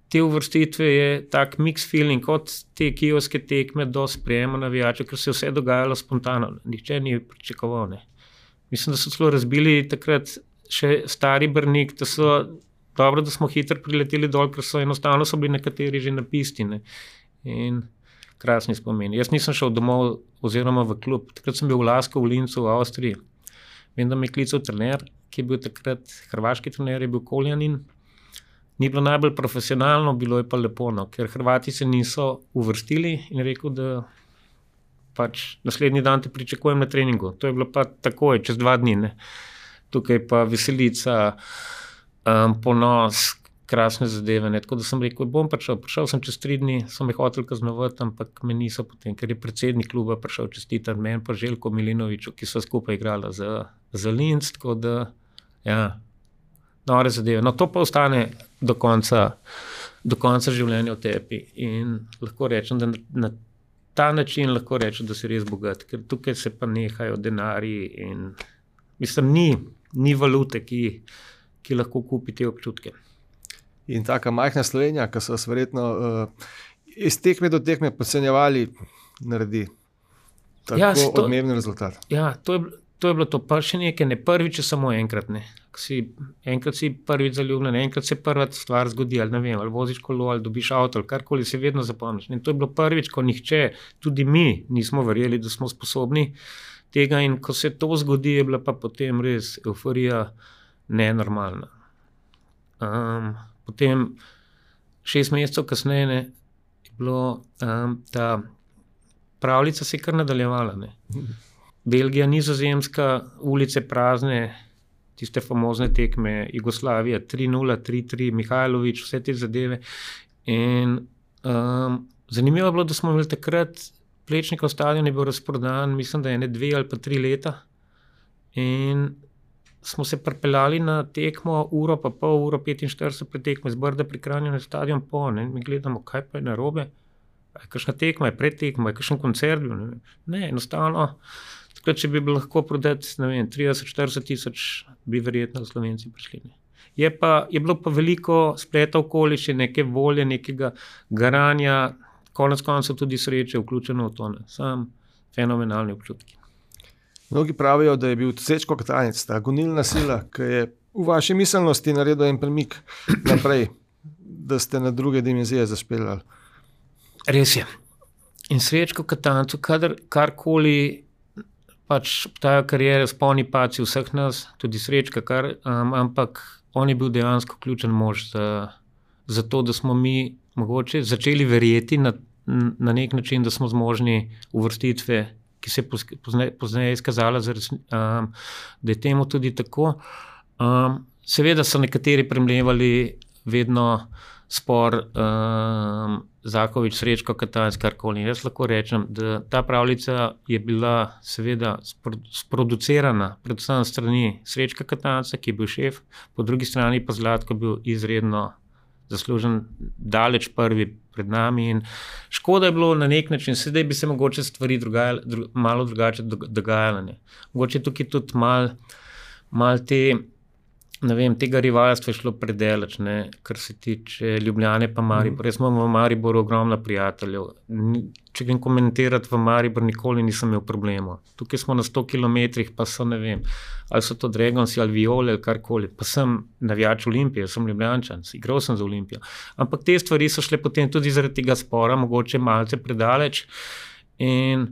te uvrstitve je tak mix feeling, od te kijevske tekme do sprejema navijačev, ker se je vse dogajalo spontano. Nihče ni pričakoval. Ne. Mislim, da so celo razbili takrat še stari Brnik, da so dobro, da smo hitro prileteli dol, ker so enostavno so bili nekateri že na pisti. Ne. In krasni spomeni. Jaz nisem šel domov oziroma v klub. Takrat sem bil v Lasko v Lincu v Avstriji. Vem, da me je klical trener, ki je bil takrat hrvaški trener, je bil Koljanin. Ni bilo najbolj profesionalno, bilo je pa lepo, no, ker Hrvati se niso uvrstili in rekel, da pač naslednji dan te pričakujem na treningu. To je bilo pa takoj, čez 2 dni. Ne. Tukaj pa veselica, ponos, krasne zadeve. Ne. Tako da sem rekel, bom prišel. Prišel sem čez 3 dni, so me hoteli kaznovati, ampak me niso potem, ker je predsednik kluba prišel čestitati meni pa Željko Milinoviču, ki so skupaj igrala za Linz, tako da, ja, nore zadeve. No, to pa ostane do konca življenja v tebi. In lahko rečem, da na ta način lahko rečem, da si res bogat, ker tukaj se pa nehajo denarji in mislim, ni valute, ki lahko kupi te občutke. In taka majhna Slovenija, ki so verjetno iz tekme do tekme podcenjevali, naredi tako odmeven rezultat. Ja, to je bilo to. Pa še nekaj, ne prvič, samo enkrat. Ne. Enkrat si prvič zaljubljen, enkrat se prva stvar zgodi, ali ne vem, ali voziš kolo, ali dobiš avto, ali karkoli se vedno zapomniš. In to je bilo prvič, ko nihče, tudi mi nismo verjeli, da smo sposobni tega in ko se to zgodi, je bila pa potem res euforija nenormalna. Potem 6 mesecev kasneje je bilo ta pravljica se kar nadaljevala. Ne. Belgija, Nizozemska, ulice prazne, tiste famozne tekme, Jugoslavija, 3-0, 3-3, Mihajlović, vse te zadeve. In zanimivo je bilo, da smo imeli takrat Plečnikov stadion je bil razprodan, mislim, da 2 ali pa 3 leta. In smo se pripeljali na tekmo, uro pa pol, uro 45 pred tekmo iz Brda pri Kranju na stadion in mi gledamo, kaj pa je narobe. Je kakšna tekma, je predtekma, je kakšen koncert bil. Ne, enostavno. Takrat, če bi bilo lahko prodati, ne vem, 30-40 tisoč, bi verjetno Slovenci prišli. Ne. Je bilo pa veliko spleta okoliščin, neke volje, nekega garanja, konec koncev tudi sreče vključeno v to. Sam fenomenalni občutki. Mnogi pravijo, da je bil Srečko Katanec, ta gonilna sila, ki je v vaši miselnosti naredil en premik naprej, da ste na druge dimenzije zašpeljali. Res je. In Srečko Katancu, karkoli pač obstajajo kariere, spolni paci vseh nas, tudi Srečka, ampak on je bil dejansko ključen mož za to, da smo mi mogoče začeli verjeti na nek način, da smo zmožni uvrstitve, ki se je pozneje izkazala, da je temu tudi tako. Seveda so nekateri premlevali vedno spor Zakovič, Srečko, Katanec, karkoli. Jaz lahko rečem, da ta pravljica je bila seveda sproducirana predvsem strani Srečka Katanca, ki je bil šef, po drugi strani pa Zlatko bil izredno zaslužen, daleč prvi pred nami in škoda je bilo na nek način, sedaj bi se mogoče stvari malo drugače dogajale. Mogoče tukaj tudi malo te, ne vem, tega rivalstva je šlo predaleč, kar se tiče Ljubljane pa Maribor. Jaz imam v Mariboru ogromno prijateljev. Če grem komentirati v Maribor, nikoli nisem imel problemov. Tukaj smo na 100 kilometrih, pa so, ne vem, ali so to Dragonsi ali Viole ali karkoli. Pa sem navijač Olimpije, sem Ljubljančan, igral sem za Olimpijo. Ampak te stvari so šle potem tudi zaradi tega spora, mogoče malce predaleč. In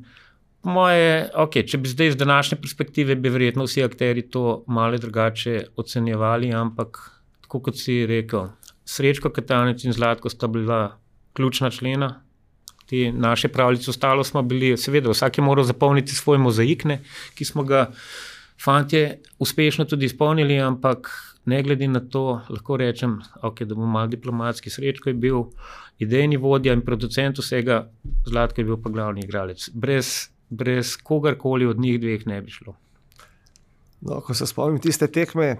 moje, če bi zdaj iz današnje perspektive, bi verjetno vsi akterji to malo drugače ocenjevali, ampak tako kot si rekel, Srečko Katanec in Zlatko sta bila ključna člena te naše pravljice. Ostalo smo bili, seveda, vsak je moral zapolniti svoj mozaik, ki smo ga fantje uspešno tudi izpolnili, ampak ne glede na to, lahko rečem, da bom malo diplomatski, Srečko je bil idejni vodja in producent vsega, Zlatko je bil pa glavni igralec. Brez kogarkoli od njih dveh ne bi šlo. No, ko se spomnim tiste tekme,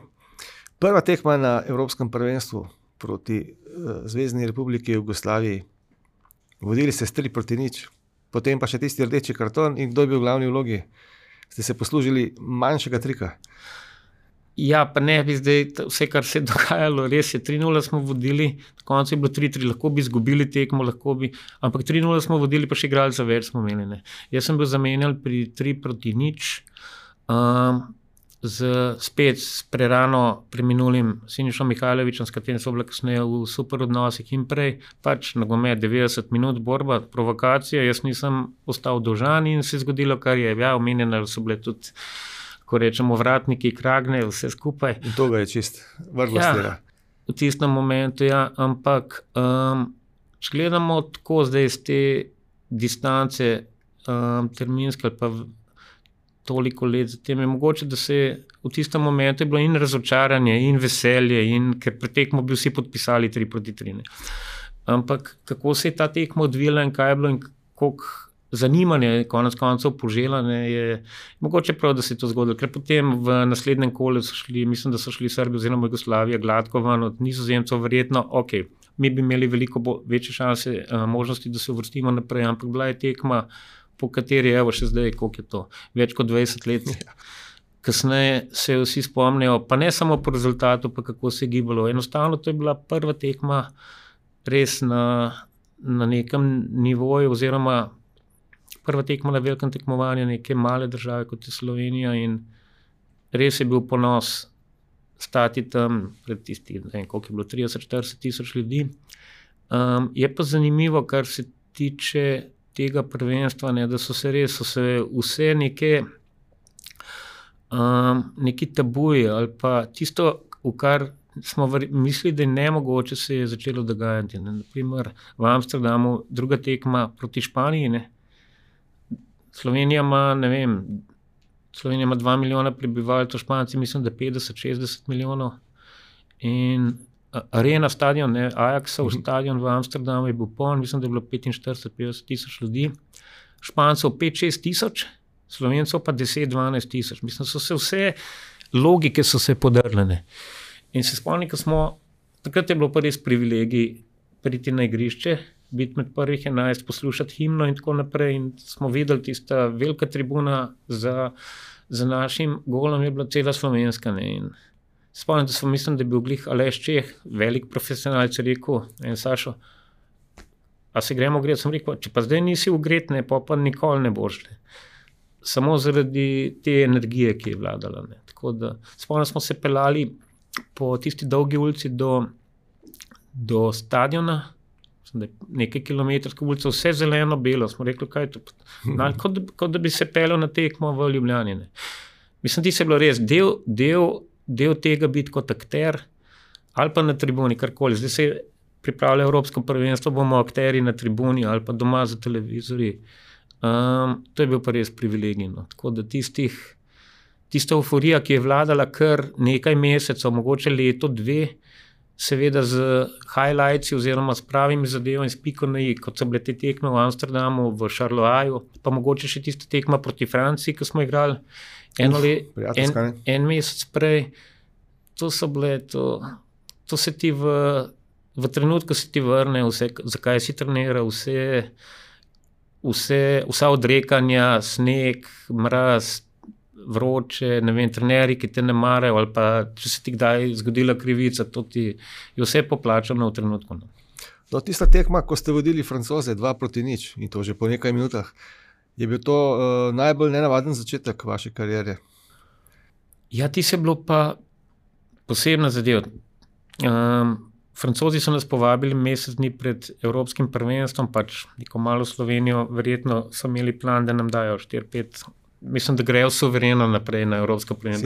prva tekma na Evropskem prvenstvu proti Zvezni republiki Jugoslaviji, vodili ste 3-0, potem pa še tisti rdeči karton in kdo je bil v glavni vlogi? Ste se poslužili manjšega trika? Ja, pa ne bi zdaj vse, kar se je dogajalo, res je, 3-0 smo vodili, na koncu je bilo 3-3, lahko bi izgubili tekmo, ampak 3-0 smo vodili, pa še igralca več smo imeli. Ne. Jaz sem bil zamenjal pri 3-0, spet s prerano preminulim Sinišom Mihajlovičem, s katerim so bile kasneje v super odnosih in prej, pač nogomet 90 minut, borba, provokacija, jaz nisem ostal dolžan in se je zgodilo, kar je, ja, omenjeno so bile tudi, ko rečemo, vratniki, kragne, vse skupaj. In to ga je čist vrlo stira. V tistem momentu, ja, ampak če gledamo tako zdaj z te distance terminske ali pa toliko let zatem, je mogoče, da se v tistem momentu je bilo in razočaranje, in veselje, in ker pred tekmo bi vsi podpisali 3-3. Ampak kako se je ta tekma odvila in kaj je bilo in koliko zanimanje konec koncev požela, je mogoče prav, da se je to zgodilo, ker potem v naslednjem kolu mislim, da so šli Srbi oziroma Jugoslavija gladko van od Nizozemcev, verjetno, mi bi imeli veliko večje šanse, možnosti, da se uvrstimo naprej, ampak bila je tekma, po kateri evo še zdaj, koliko je to, več kot 20 let. Kasneje se vsi spomnijo, pa ne samo po rezultatu, pa kako se je gibalo. Enostavno to je bila prva tekma res na nekem nivoju oziroma prva tekma na velikem tekmovanju neke male države, kot je Slovenija, in res je bil ponos stati tam pred tisti, ne vem, koliko je bilo, 30-40 tisoč ljudi. Je pa zanimivo, kar se tiče tega prvenstva, ne, da so se vse neki tabuji ali pa tisto, v kar smo mislili, da je nemogoče, se je začelo dogajati. Ne. Naprimer, v Amsterdamu druga tekma proti Španiji, ne. Slovenija ima 2 milijona prebivalcev, Španci mislim, da 50-60 milijonov. In arena, stadion, ne, Ajaxov stadion v Amsterdamu je bil poln, mislim, da je bilo 45-50 tisoč ljudi. Špancov 5-6 tisoč, Slovencov pa 10-12 tisoč. Mislim, so se vse logike so se podrle. In se spomnim, takrat je bilo pa res privilegij priti na igrišče, biti med prvih 11, poslušati himno in tako naprej. In smo videli tista velika tribuna za našim golom je bila cela slovenska. Ne. In spomnim, da mislim, da je bil glih Aleš Čeh, velik profesionalc, rekel, Sašo, a se gremo gret? Sem rekel, če pa zdaj nisi ugret, ne, pa nikoli ne boš. Ne. Samo zaradi te energije, ki je vladala. Ne. Tako da, spomnim, smo se pelali po tisti dolgi ulici do stadiona, nekaj kilometrske ulice, vse zeleno, belo. Smo rekli, kaj je to? Kot da bi se pelil na tekmo v Ljubljani. Ne. Mislim, ti se je bilo res del tega biti kot akter ali pa na tribuni, karkoli. Zdaj se pripravlja Evropsko prvenstvo, bomo akteri na tribuni ali pa doma za televizorji. To je bil pa res privilegij. No. Tako da tista euforija, ki je vladala kar nekaj mesecev, mogoče leto, 2, seveda z highlightsi oziroma s pravimi zadevami, s piko na i, kot so bile te tekme v Amsterdamu, v Charleroi, pa mogoče še tista tekma proti Franciji, ki smo igrali en mesec prej. To so bile, to se ti v trenutku se ti vrne vse, zakaj si treniral, vsa odrekanja, sneg, mraz, vroče, ne vem, trenerji, ki te ne marajo, ali pa če se ti kdaj zgodila krivica, to ti je vse poplačano v trenutku. No, tista tekma, ko ste vodili Francoze 2-0 in to že po nekaj minutah, je bil to najbolj nenavaden začetek vaše kariere? Ja, ti se bilo pa posebna zadeva. Francozi so nas povabili mesec dni pred Evropskim prvenstvom, pač neko malo Slovenijo, verjetno so imeli plan, da nam dajo 4-5. Mislim, da grejo suvereno naprej na Evropsko prvenstvo.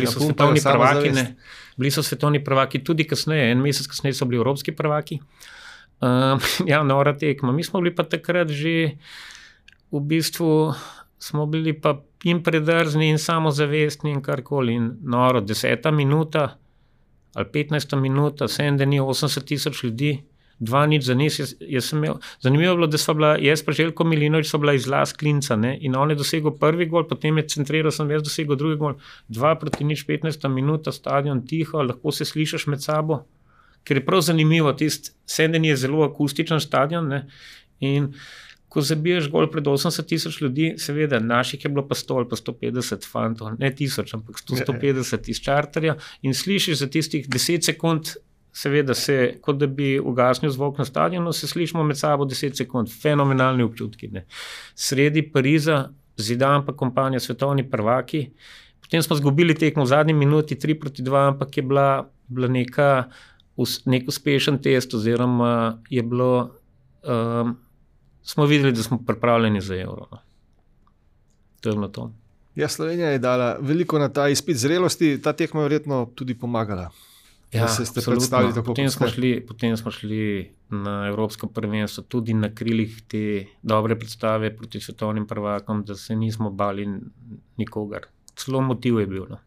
Bili so svetovni prvaki tudi kasneje, en mesec kasneje so bili Evropski prvaki. Ja, nora tekma. Mi smo bili pa takrat že v bistvu, smo bili pa in predrzni in samozavestni in karkoli. In noro, 10. minuta ali 15. minuta, 7 dni, 80 tisoč ljudi, 2-0 za nas. Zanimivo je bilo, da so bila, jaz pa Željko Milinović so bila iz Las Klinca, ne, in on je dosegel prvi gol, potem je centriral, sem jaz dosegel drugi gol, 2-0, 15. minuta, stadion tiho, lahko se slišiš med sabo, ker je prav zanimivo, tist Senden je zelo akustičen stadion, ne, in ko zabiješ gol pred 80,000 ljudi, seveda, naših je bilo pa 100 ali pa 150 fantov, ne 1000, ampak 150 iz čarterja in slišiš za tistih 10 sekund, seveda se, kot da bi ugasnil zvok na stadionu, se slišimo med sabo 10 sekund, fenomenalni občutki. Ne. Sredi Pariza, Zidane pa kompanija, svetovni prvaki, potem smo zgubili tekmo v zadnji minuti 3-2, ampak je bila nek uspešen test, oziroma je bilo, smo videli, da smo pripravljeni za Euro. No. To je bilo to. Ja, Slovenija je dala veliko na ta izpit zrelosti, ta tekma je verjetno tudi pomagala. Ja, tako, potem smo šli na Evropsko prvenstvo tudi na krilih te dobre predstave proti svetovnim prvakom, da se nismo bali nikogar. Celo motiv je bil. No.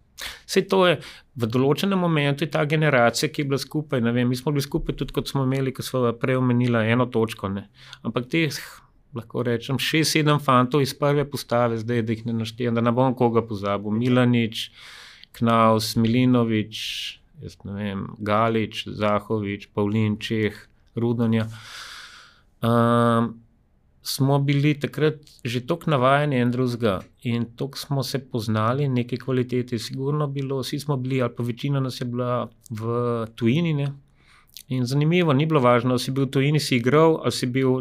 Sej to je v določenem momentu ta generacija, ki je bila skupaj, ne vem, mi smo bili skupaj tudi, kot smo imeli, ko smo prej omenila 1 točko, ne. Ampak teh, lahko rečem, 6-7 fantov iz prve postave, zdaj, da jih ne naštejem, da ne bom koga pozabil, Milanič, Knaus, Milinovič, jaz ne vem, Galič, Zahovič, Pavlin, Čeh, Rudonja. Smo bili takrat že toliko navajeni en drugega in toliko smo se poznali, neke kvalitete sigurno bilo, vsi smo bili, ali pa večina nas je bila v tujini, ne. In zanimivo, ni bilo važno, ali si bil v tujini, si igral, ali si bil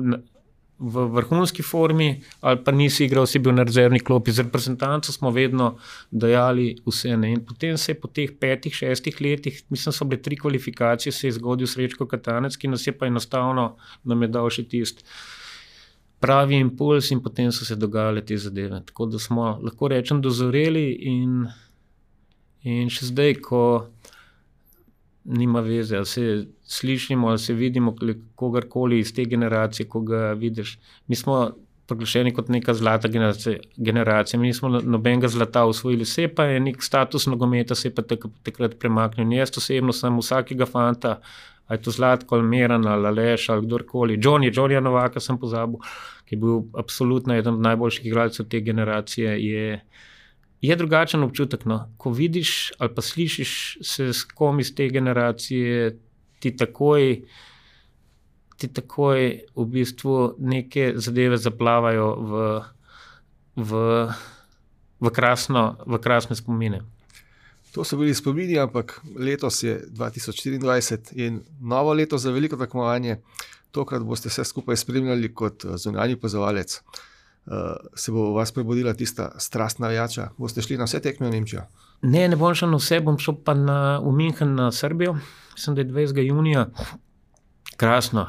v vrhunski formi, ali pa nisi igral, si bil na rezervni klopi. Z reprezentanco smo vedno dajali vse. Ne. In potem se je po teh 5-6 letih, mislim, so bile 3 kvalifikacije, se je zgodil Srečko Katanec, ki nas je pa enostavno nam je dal še tisti pravi impuls in potem so se dogajale te zadeve. Tako da smo, lahko rečem, dozoreli in še zdaj, ko nima veze, ali se slišimo, ali se vidimo kogarkoli iz te generacije, ko ga vidiš. Mi smo proglašeni kot neka zlata generacija, mi nismo nobenega zlata osvojili, se pa je nek status nogometa, se pa takrat premaknil. In jaz osebno sem vsakega fanta, ali je to Zlatko, Almeran, ali Aleš, ali kdorkoli, Johnnyja Novaka sem pozabil, ki je bil absolutno eden od najboljših igralcev te generacije, je drugačen občutek. No. Ko vidiš ali pa slišiš se s kom iz te generacije, ti takoj v bistvu neke zadeve zaplavajo v krasne spomine. To so bili spomini, ampak letos je 2024 in novo leto za veliko tekmovanje. Tokrat boste vse skupaj spremljali kot zunanji opazovalec. Se bo v vas prebudila tista strastna navijača? Boste šli na vse tekme v Nemčijo? Ne bom šel na vse, bom šel pa v München na Srbijo. Mislim, da je 20. junija. Krasno.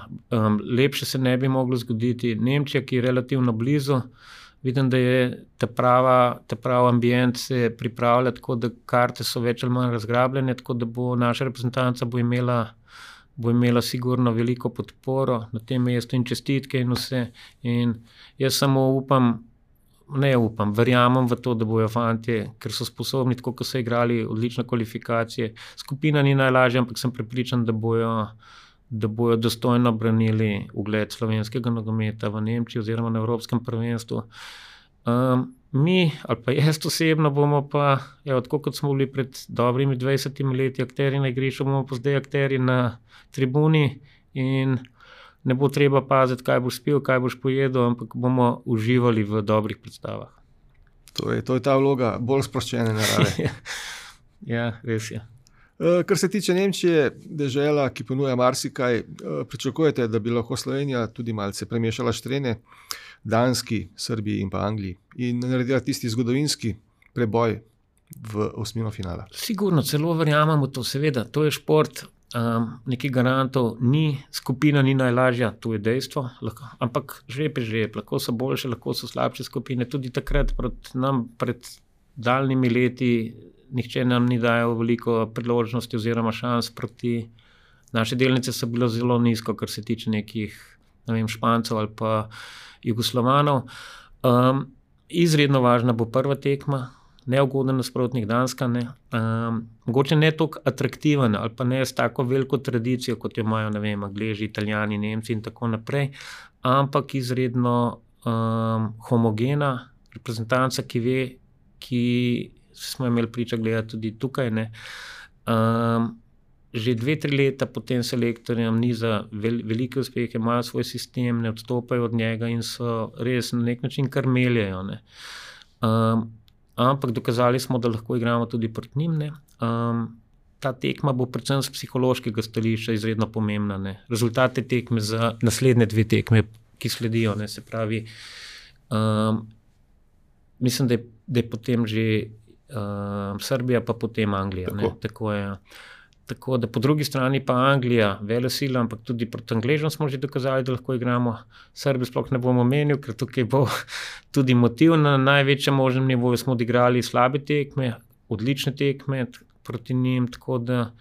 Lepše se ne bi moglo zgoditi. Nemčija, ki je relativno blizu. Vidim, da je ta pravi ambient se pripravlja, tako da karte so več ali manj razgrabljene, tako da bo naša reprezentanca bo imela sigurno veliko podporo na tem mestu in čestitke in vse. In jaz samo verjamem v to, da bojo fantje, ker so sposobni, tako kot so igrali odlične kvalifikacije. Skupina ni najlažja, ampak sem prepričan, da bojo dostojno branili ugled slovenskega nogometa v Nemčiji oziroma na Evropskem prvenstvu. Mi, ali pa jaz osebno, bomo pa, tako kot smo bili pred dobrimi 20 leti akterji na igrišču, bomo pa zdaj akterji na tribuni in ne bo treba paziti, kaj boš spil, kaj boš pojedel, ampak bomo uživali v dobrih predstavah. To je ta vloga bolj sproščene narave. Ja, res je. Kar se tiče Nemčije, dežela, ki ponuja marsikaj, pričakujete, da bi lahko Slovenija tudi malce premešala štrene Danski, Srbiji in pa Angliji in naredila tisti zgodovinski preboj v osmino finala? Sigurno, celo verjamemo to, seveda, to je šport, nekih garantov ni, skupina ni najlažja, to je dejstvo, ampak žreb je žreb, lahko so boljše, lahko so slabše skupine, tudi takrat pred daljnimi leti nihče nam ni dajal veliko priložnosti oziroma šans proti. Naše delnice so bile zelo nizko, kar se tiče nekih, Špancev ali pa Jugoslovanov. Izredno važna bo prva tekma, neugoden nasprotnik Danska, ne. Mogoče ne toliko atraktiven ali pa ne s tako veliko tradicijo, kot jo imajo, Angleži, Italijani, Nemci in tako naprej, ampak izredno homogena reprezentanca, ki smo imeli priča gledati tudi tukaj, ne. že 2-3 leta pod tem selektorjem niza velike uspehe, imajo svoj sistem, ne odstopajo od njega in so res na nek način kar meljejo. Ne. Ampak dokazali smo, da lahko igramo tudi proti njim. Ne. Ta tekma bo predvsem z psihološkega stališča izredno pomembna. Ne. Rezultate tekme za naslednje 2 tekme, ki sledijo. Ne. Se pravi, mislim, da je potem že Srbija, pa potem Anglija. Tako je. Tako da po drugi strani pa Anglija, velesila, ampak tudi proti Angležem smo že dokazali, da lahko igramo. Srbijo sploh ne bom omenil, ker tukaj bo tudi motiv na največjem možnem nivoju. Smo odigrali slabe tekme, odlične tekme proti njim, tako da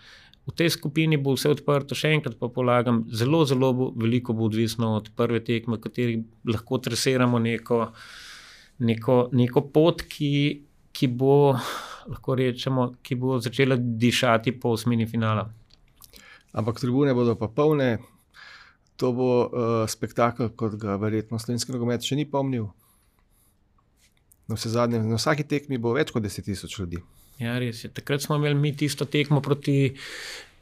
v tej skupini bo vse odprto. Še enkrat pa polagam, zelo veliko bo odvisno od prve tekme, v kateri lahko tresiramo neko pot, ki bo, lahko rečemo, ki bo začela dišati po osmini finala. Ampak tribune bodo pa polne, to bo spektakel, kot ga verjetno slovenski nogomet še ni pomnil. Na vsaki tekmi bo več kot 10,000 ljudi. Ja, res je. Takrat smo imeli mi tisto tekmo proti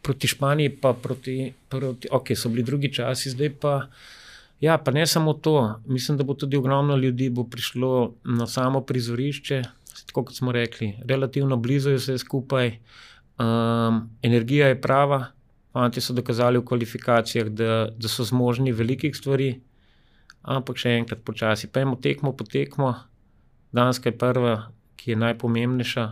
Španiji, pa ok, so bili drugi časi, zdaj pa, ja, pa ne samo to. Mislim, da bo tudi ogromno ljudi bo prišlo na samo prizorišče. Tako kot smo rekli, relativno blizu je vse skupaj, energija je prava, fanti so dokazali v kvalifikacijah, da so zmožni velikih stvari, ampak še enkrat počasi. Pejmo tekmo po tekmo, Danska je prva, ki je najpomembnejša.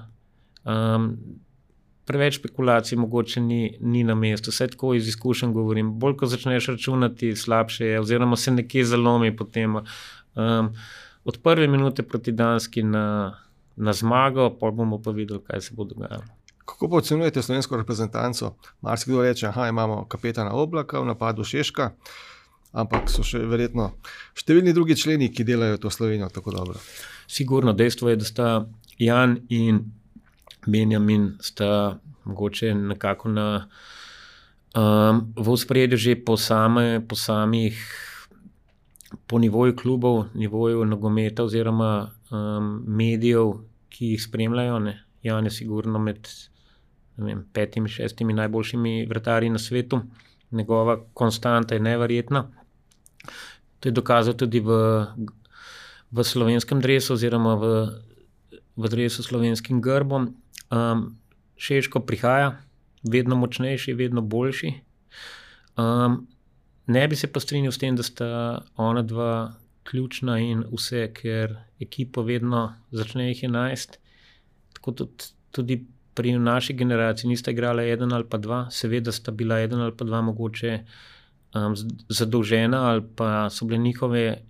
Preveč špekulacij mogoče ni na mestu, vse tako iz izkušenj govorim. Bolj, ko začneš računati, slabše je, oziroma se nekje zalomi potem. Od prve minute proti Danski na zmago, pa bomo pa videli, kaj se bo dogajalo. Kako pa ocenjujete slovensko reprezentanco? Marsikdo reče, imamo kapetana Oblaka, v napadu Šeška, ampak so še verjetno številni drugi členi, ki delajo to Slovenijo tako dobro. Sigurno, dejstvo je, da sta Jan in Benjamin sta mogoče nekako v ospredju že po nivoju klubov, nivoju nogometa oziroma medijev, ki jih spremljajo. Ne. Jan je sigurno med 5-6 najboljšimi vratarji na svetu. Njegova konstanta je neverjetna. To je dokazal tudi v slovenskem dresu oziroma v dresu s slovenskim grbom. Šeško prihaja, vedno močnejši, vedno boljši. Ne bi se pa strinjal s tem, da sta ona dva ključna in vse, ker ekipo vedno začne jih 11. Tako tudi pri naši generaciji nista igrala 1 ali pa 2, seveda sta bila 1 ali pa 2 mogoče zadolžena ali pa so bile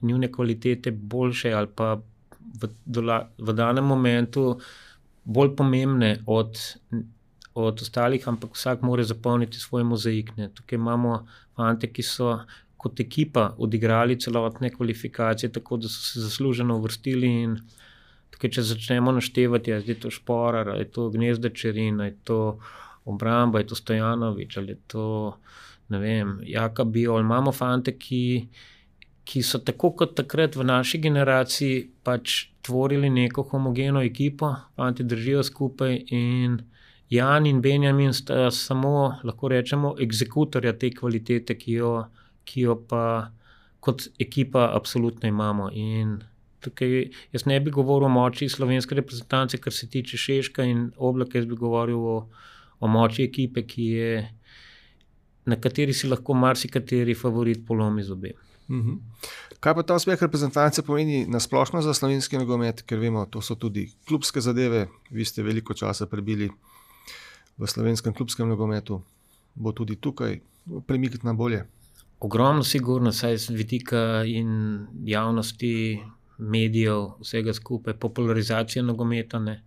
njune kvalitete boljše ali pa v danem momentu bolj pomembne od ostalih, ampak vsak mora zapolniti svoj mozaik. Ne. Tukaj imamo fante, ki so kot ekipa odigrali celotne kvalifikacije, tako da so se zasluženo uvrstili in tukaj, če začnemo naštevati, je to Šporar, je to Gnezda Čerin, je to Obramba, je to Stojanovič, ali je to, ne vem, Jaka Biol. Imamo fante, ki so tako kot takrat v naši generaciji pač tvorili neko homogeno ekipo, fanti držijo skupaj in Jan in Benjamin sta samo, lahko rečemo, egzekutorja te kvalitete, ki jo pa kot ekipa absolutno imamo. In tukaj jaz ne bi govoril o moči slovenske reprezentance, kar se tiče Šeška in Oblaka, jaz bi govoril o moči ekipe, na kateri si lahko marsikateri favorit polomi zobe. Kaj pa ta uspeh reprezentance pomeni nasplošno za slovenski nogomet, ker vemo, to so tudi klubske zadeve, vi ste veliko časa prebili v slovenskem klubskem nogometu, bo tudi tukaj premik na bolje? Ogromno sigurno, saj z vidika in javnosti, medijev, vsega skupaj, popularizacija nogometa. Ne.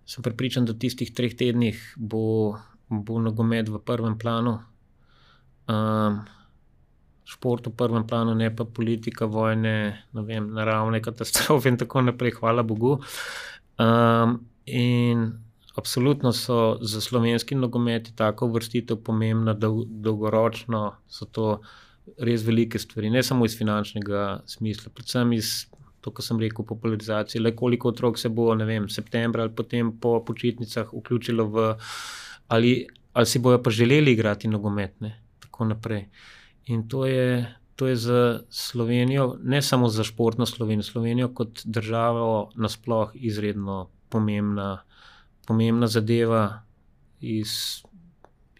Sem prepričan, da v tistih 3 tednih bo nogomet v prvem planu, šport v prvem planu, ne pa politika, vojne, ne vem, naravne katastrofe in tako naprej, hvala Bogu. In absolutno so za slovenski nogomet tako uvrstitev pomembna, dolgoročno so to res velike stvari, ne samo iz finančnega smisla, predvsem iz, to, ko sem rekel, popularizacije, le koliko otrok se bo, ne vem, septembra ali potem po počitnicah vključilo ali si bojo pa želeli igrati nogomet, ne, tako naprej. In to je za Slovenijo, ne samo za športno Slovenijo kot državo nasploh izredno pomembna zadeva iz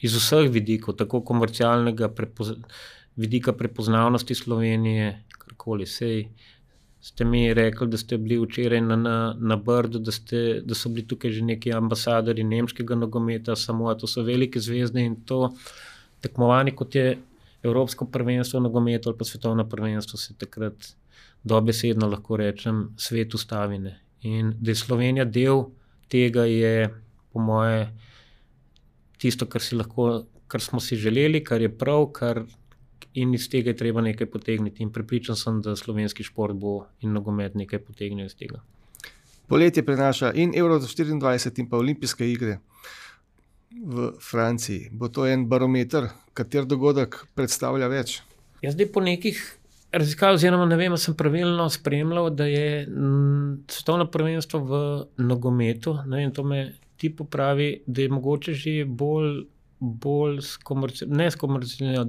vseh vidikov, tako komercialnega vidika prepoznavnosti Slovenije, karkoli. Sej ste mi rekli, da ste bili včeraj na Brdu, da so bili tukaj že neki ambasadori nemškega nogometa, samo to so velike zvezde in to tekmovanje, kot je Evropsko prvenstvo nogometu ali pa svetovno prvenstvo, se takrat dobesedno lahko rečem svet ustavine. In da je Slovenija del tega, je po moje tisto, kar smo si želeli, kar je prav, in iz tega je treba nekaj potegniti. In prepričan sem, da slovenski šport bo in nogomet nekaj potegnil iz tega. Poletje prinaša in Euro 24 in pa olimpijske igre v Franciji. Bo to en barometer, kater dogodek predstavlja več? Jaz zdaj po nekih raziskav, oziroma ne vem, sem pravilno spremljal, da je svetovno prvenstvo v nogometu, ne vem, to me ti popravi, da je mogoče že bolj da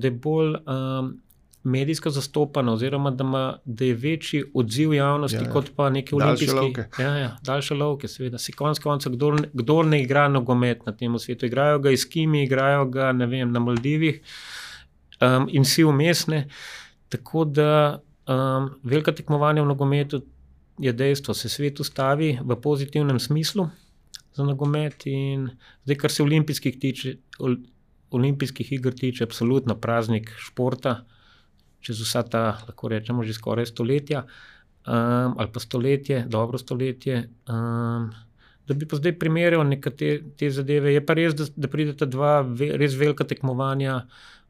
je bolj medijsko zastopano, oziroma da je večji odziv javnosti, kot pa neki olimpijski. Daljše lovke, seveda. Si konec koncev, kdor ne igra nogomet na tem svetu, igrajo ga Eskimi, igrajo ga, ne vem, na Maldivih in vsi vmesne. Tako da velika tekmovanja v nogometu je dejstvo, se svet ustavi v pozitivnem smislu za nogomet in zdaj, kar se olimpijskih iger tiče, absolutno praznik športa, čez vsa ta, lahko rečemo, že skoraj stoletja, ali pa dobro stoletje, da bi pa zdaj primerjal nekatere te zadeve. Je pa res, da prideta dva res velika tekmovanja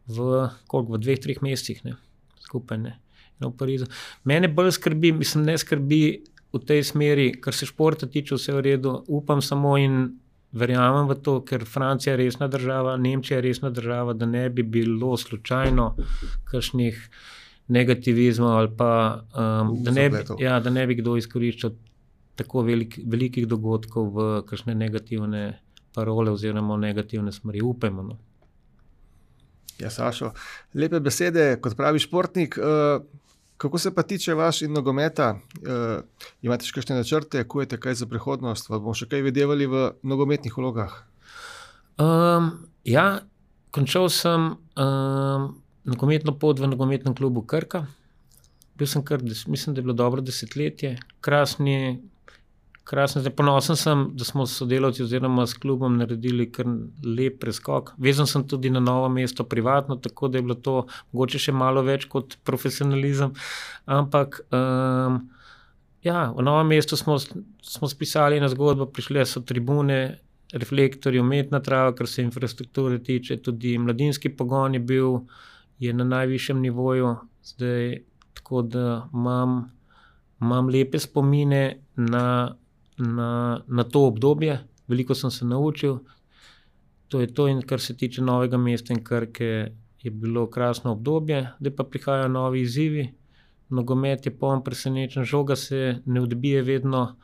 v 2-3 mesecih, ne, skupaj, ne, v Parizu. Mene bolj skrbi, ne skrbi v tej smeri, kar se športa tiče, vse v redu, upam samo in verjamem v to, ker Francija je resna država, Nemčija je resna država, da ne bi bilo slučajno kakšnih negativizmov ali pa da ne bi kdo izkoriščal tako velikih dogodkov v kakšne negativne parole oziroma negativne smeri. Upajmo, no. Ja, Sašo, lepe besede, kot pravi športnik. Kako se pa tiče vaš in nogometa? Imate še kakšne načrte, kujete kaj za prihodnost? Bomo še kaj videvali v nogometnih vlogah? Ja, končal sem nogometno pot v nogometnem klubu Krka. Bil sem mislim, da je bilo dobro desetletje. Krasni, zdaj ponosen sem, da smo s sodelavci oziroma s klubom naredili kar lep preskok. Vezan sem tudi na novo mesto privatno, tako da je bilo to mogoče še malo več kot profesionalizem. Ampak v novem mestu smo spisali eno zgodbo, prišle so tribune, reflektorji, umetna trava, kar se infrastrukture tiče, tudi mladinski pogon je na najvišjem nivoju, zdaj tako da imam lepe spomine na to obdobje, veliko sem se naučil. To je to, in kar se tiče Novega mesta in Krke, je bilo krasno obdobje, zdaj pa prihajajo novi izzivi. Nogomet je poln presenečenj, žoga se ne odbije vedno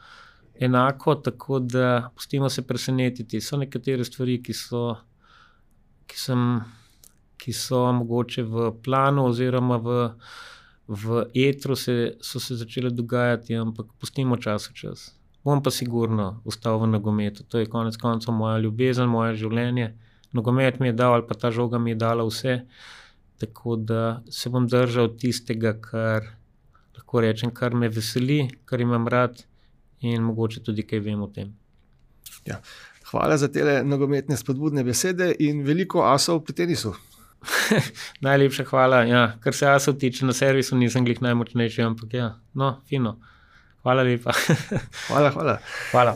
enako, tako da pustimo se presenetiti. So nekatere stvari, ki so mogoče v planu oziroma v etru so se začele dogajati, ampak pustimo čas. Bom pa sigurno ostal v nogometu. To je konec koncev moja ljubezen, moje življenje. Nogomet mi je dal, ali pa ta žoga mi je dala vse, tako da se bom držal tistega, kar lahko rečem, kar me veseli, kar imam rad in mogoče tudi kaj vem o tem. Ja. Hvala za tele nogometne spodbudne besede in veliko asov pri tenisu. Najlepša hvala. Ja, kar se asov tiče, na servisu nisem glih najmočnejši, ampak ja, no, fino. Hvala lepa. Hvala. Hvala.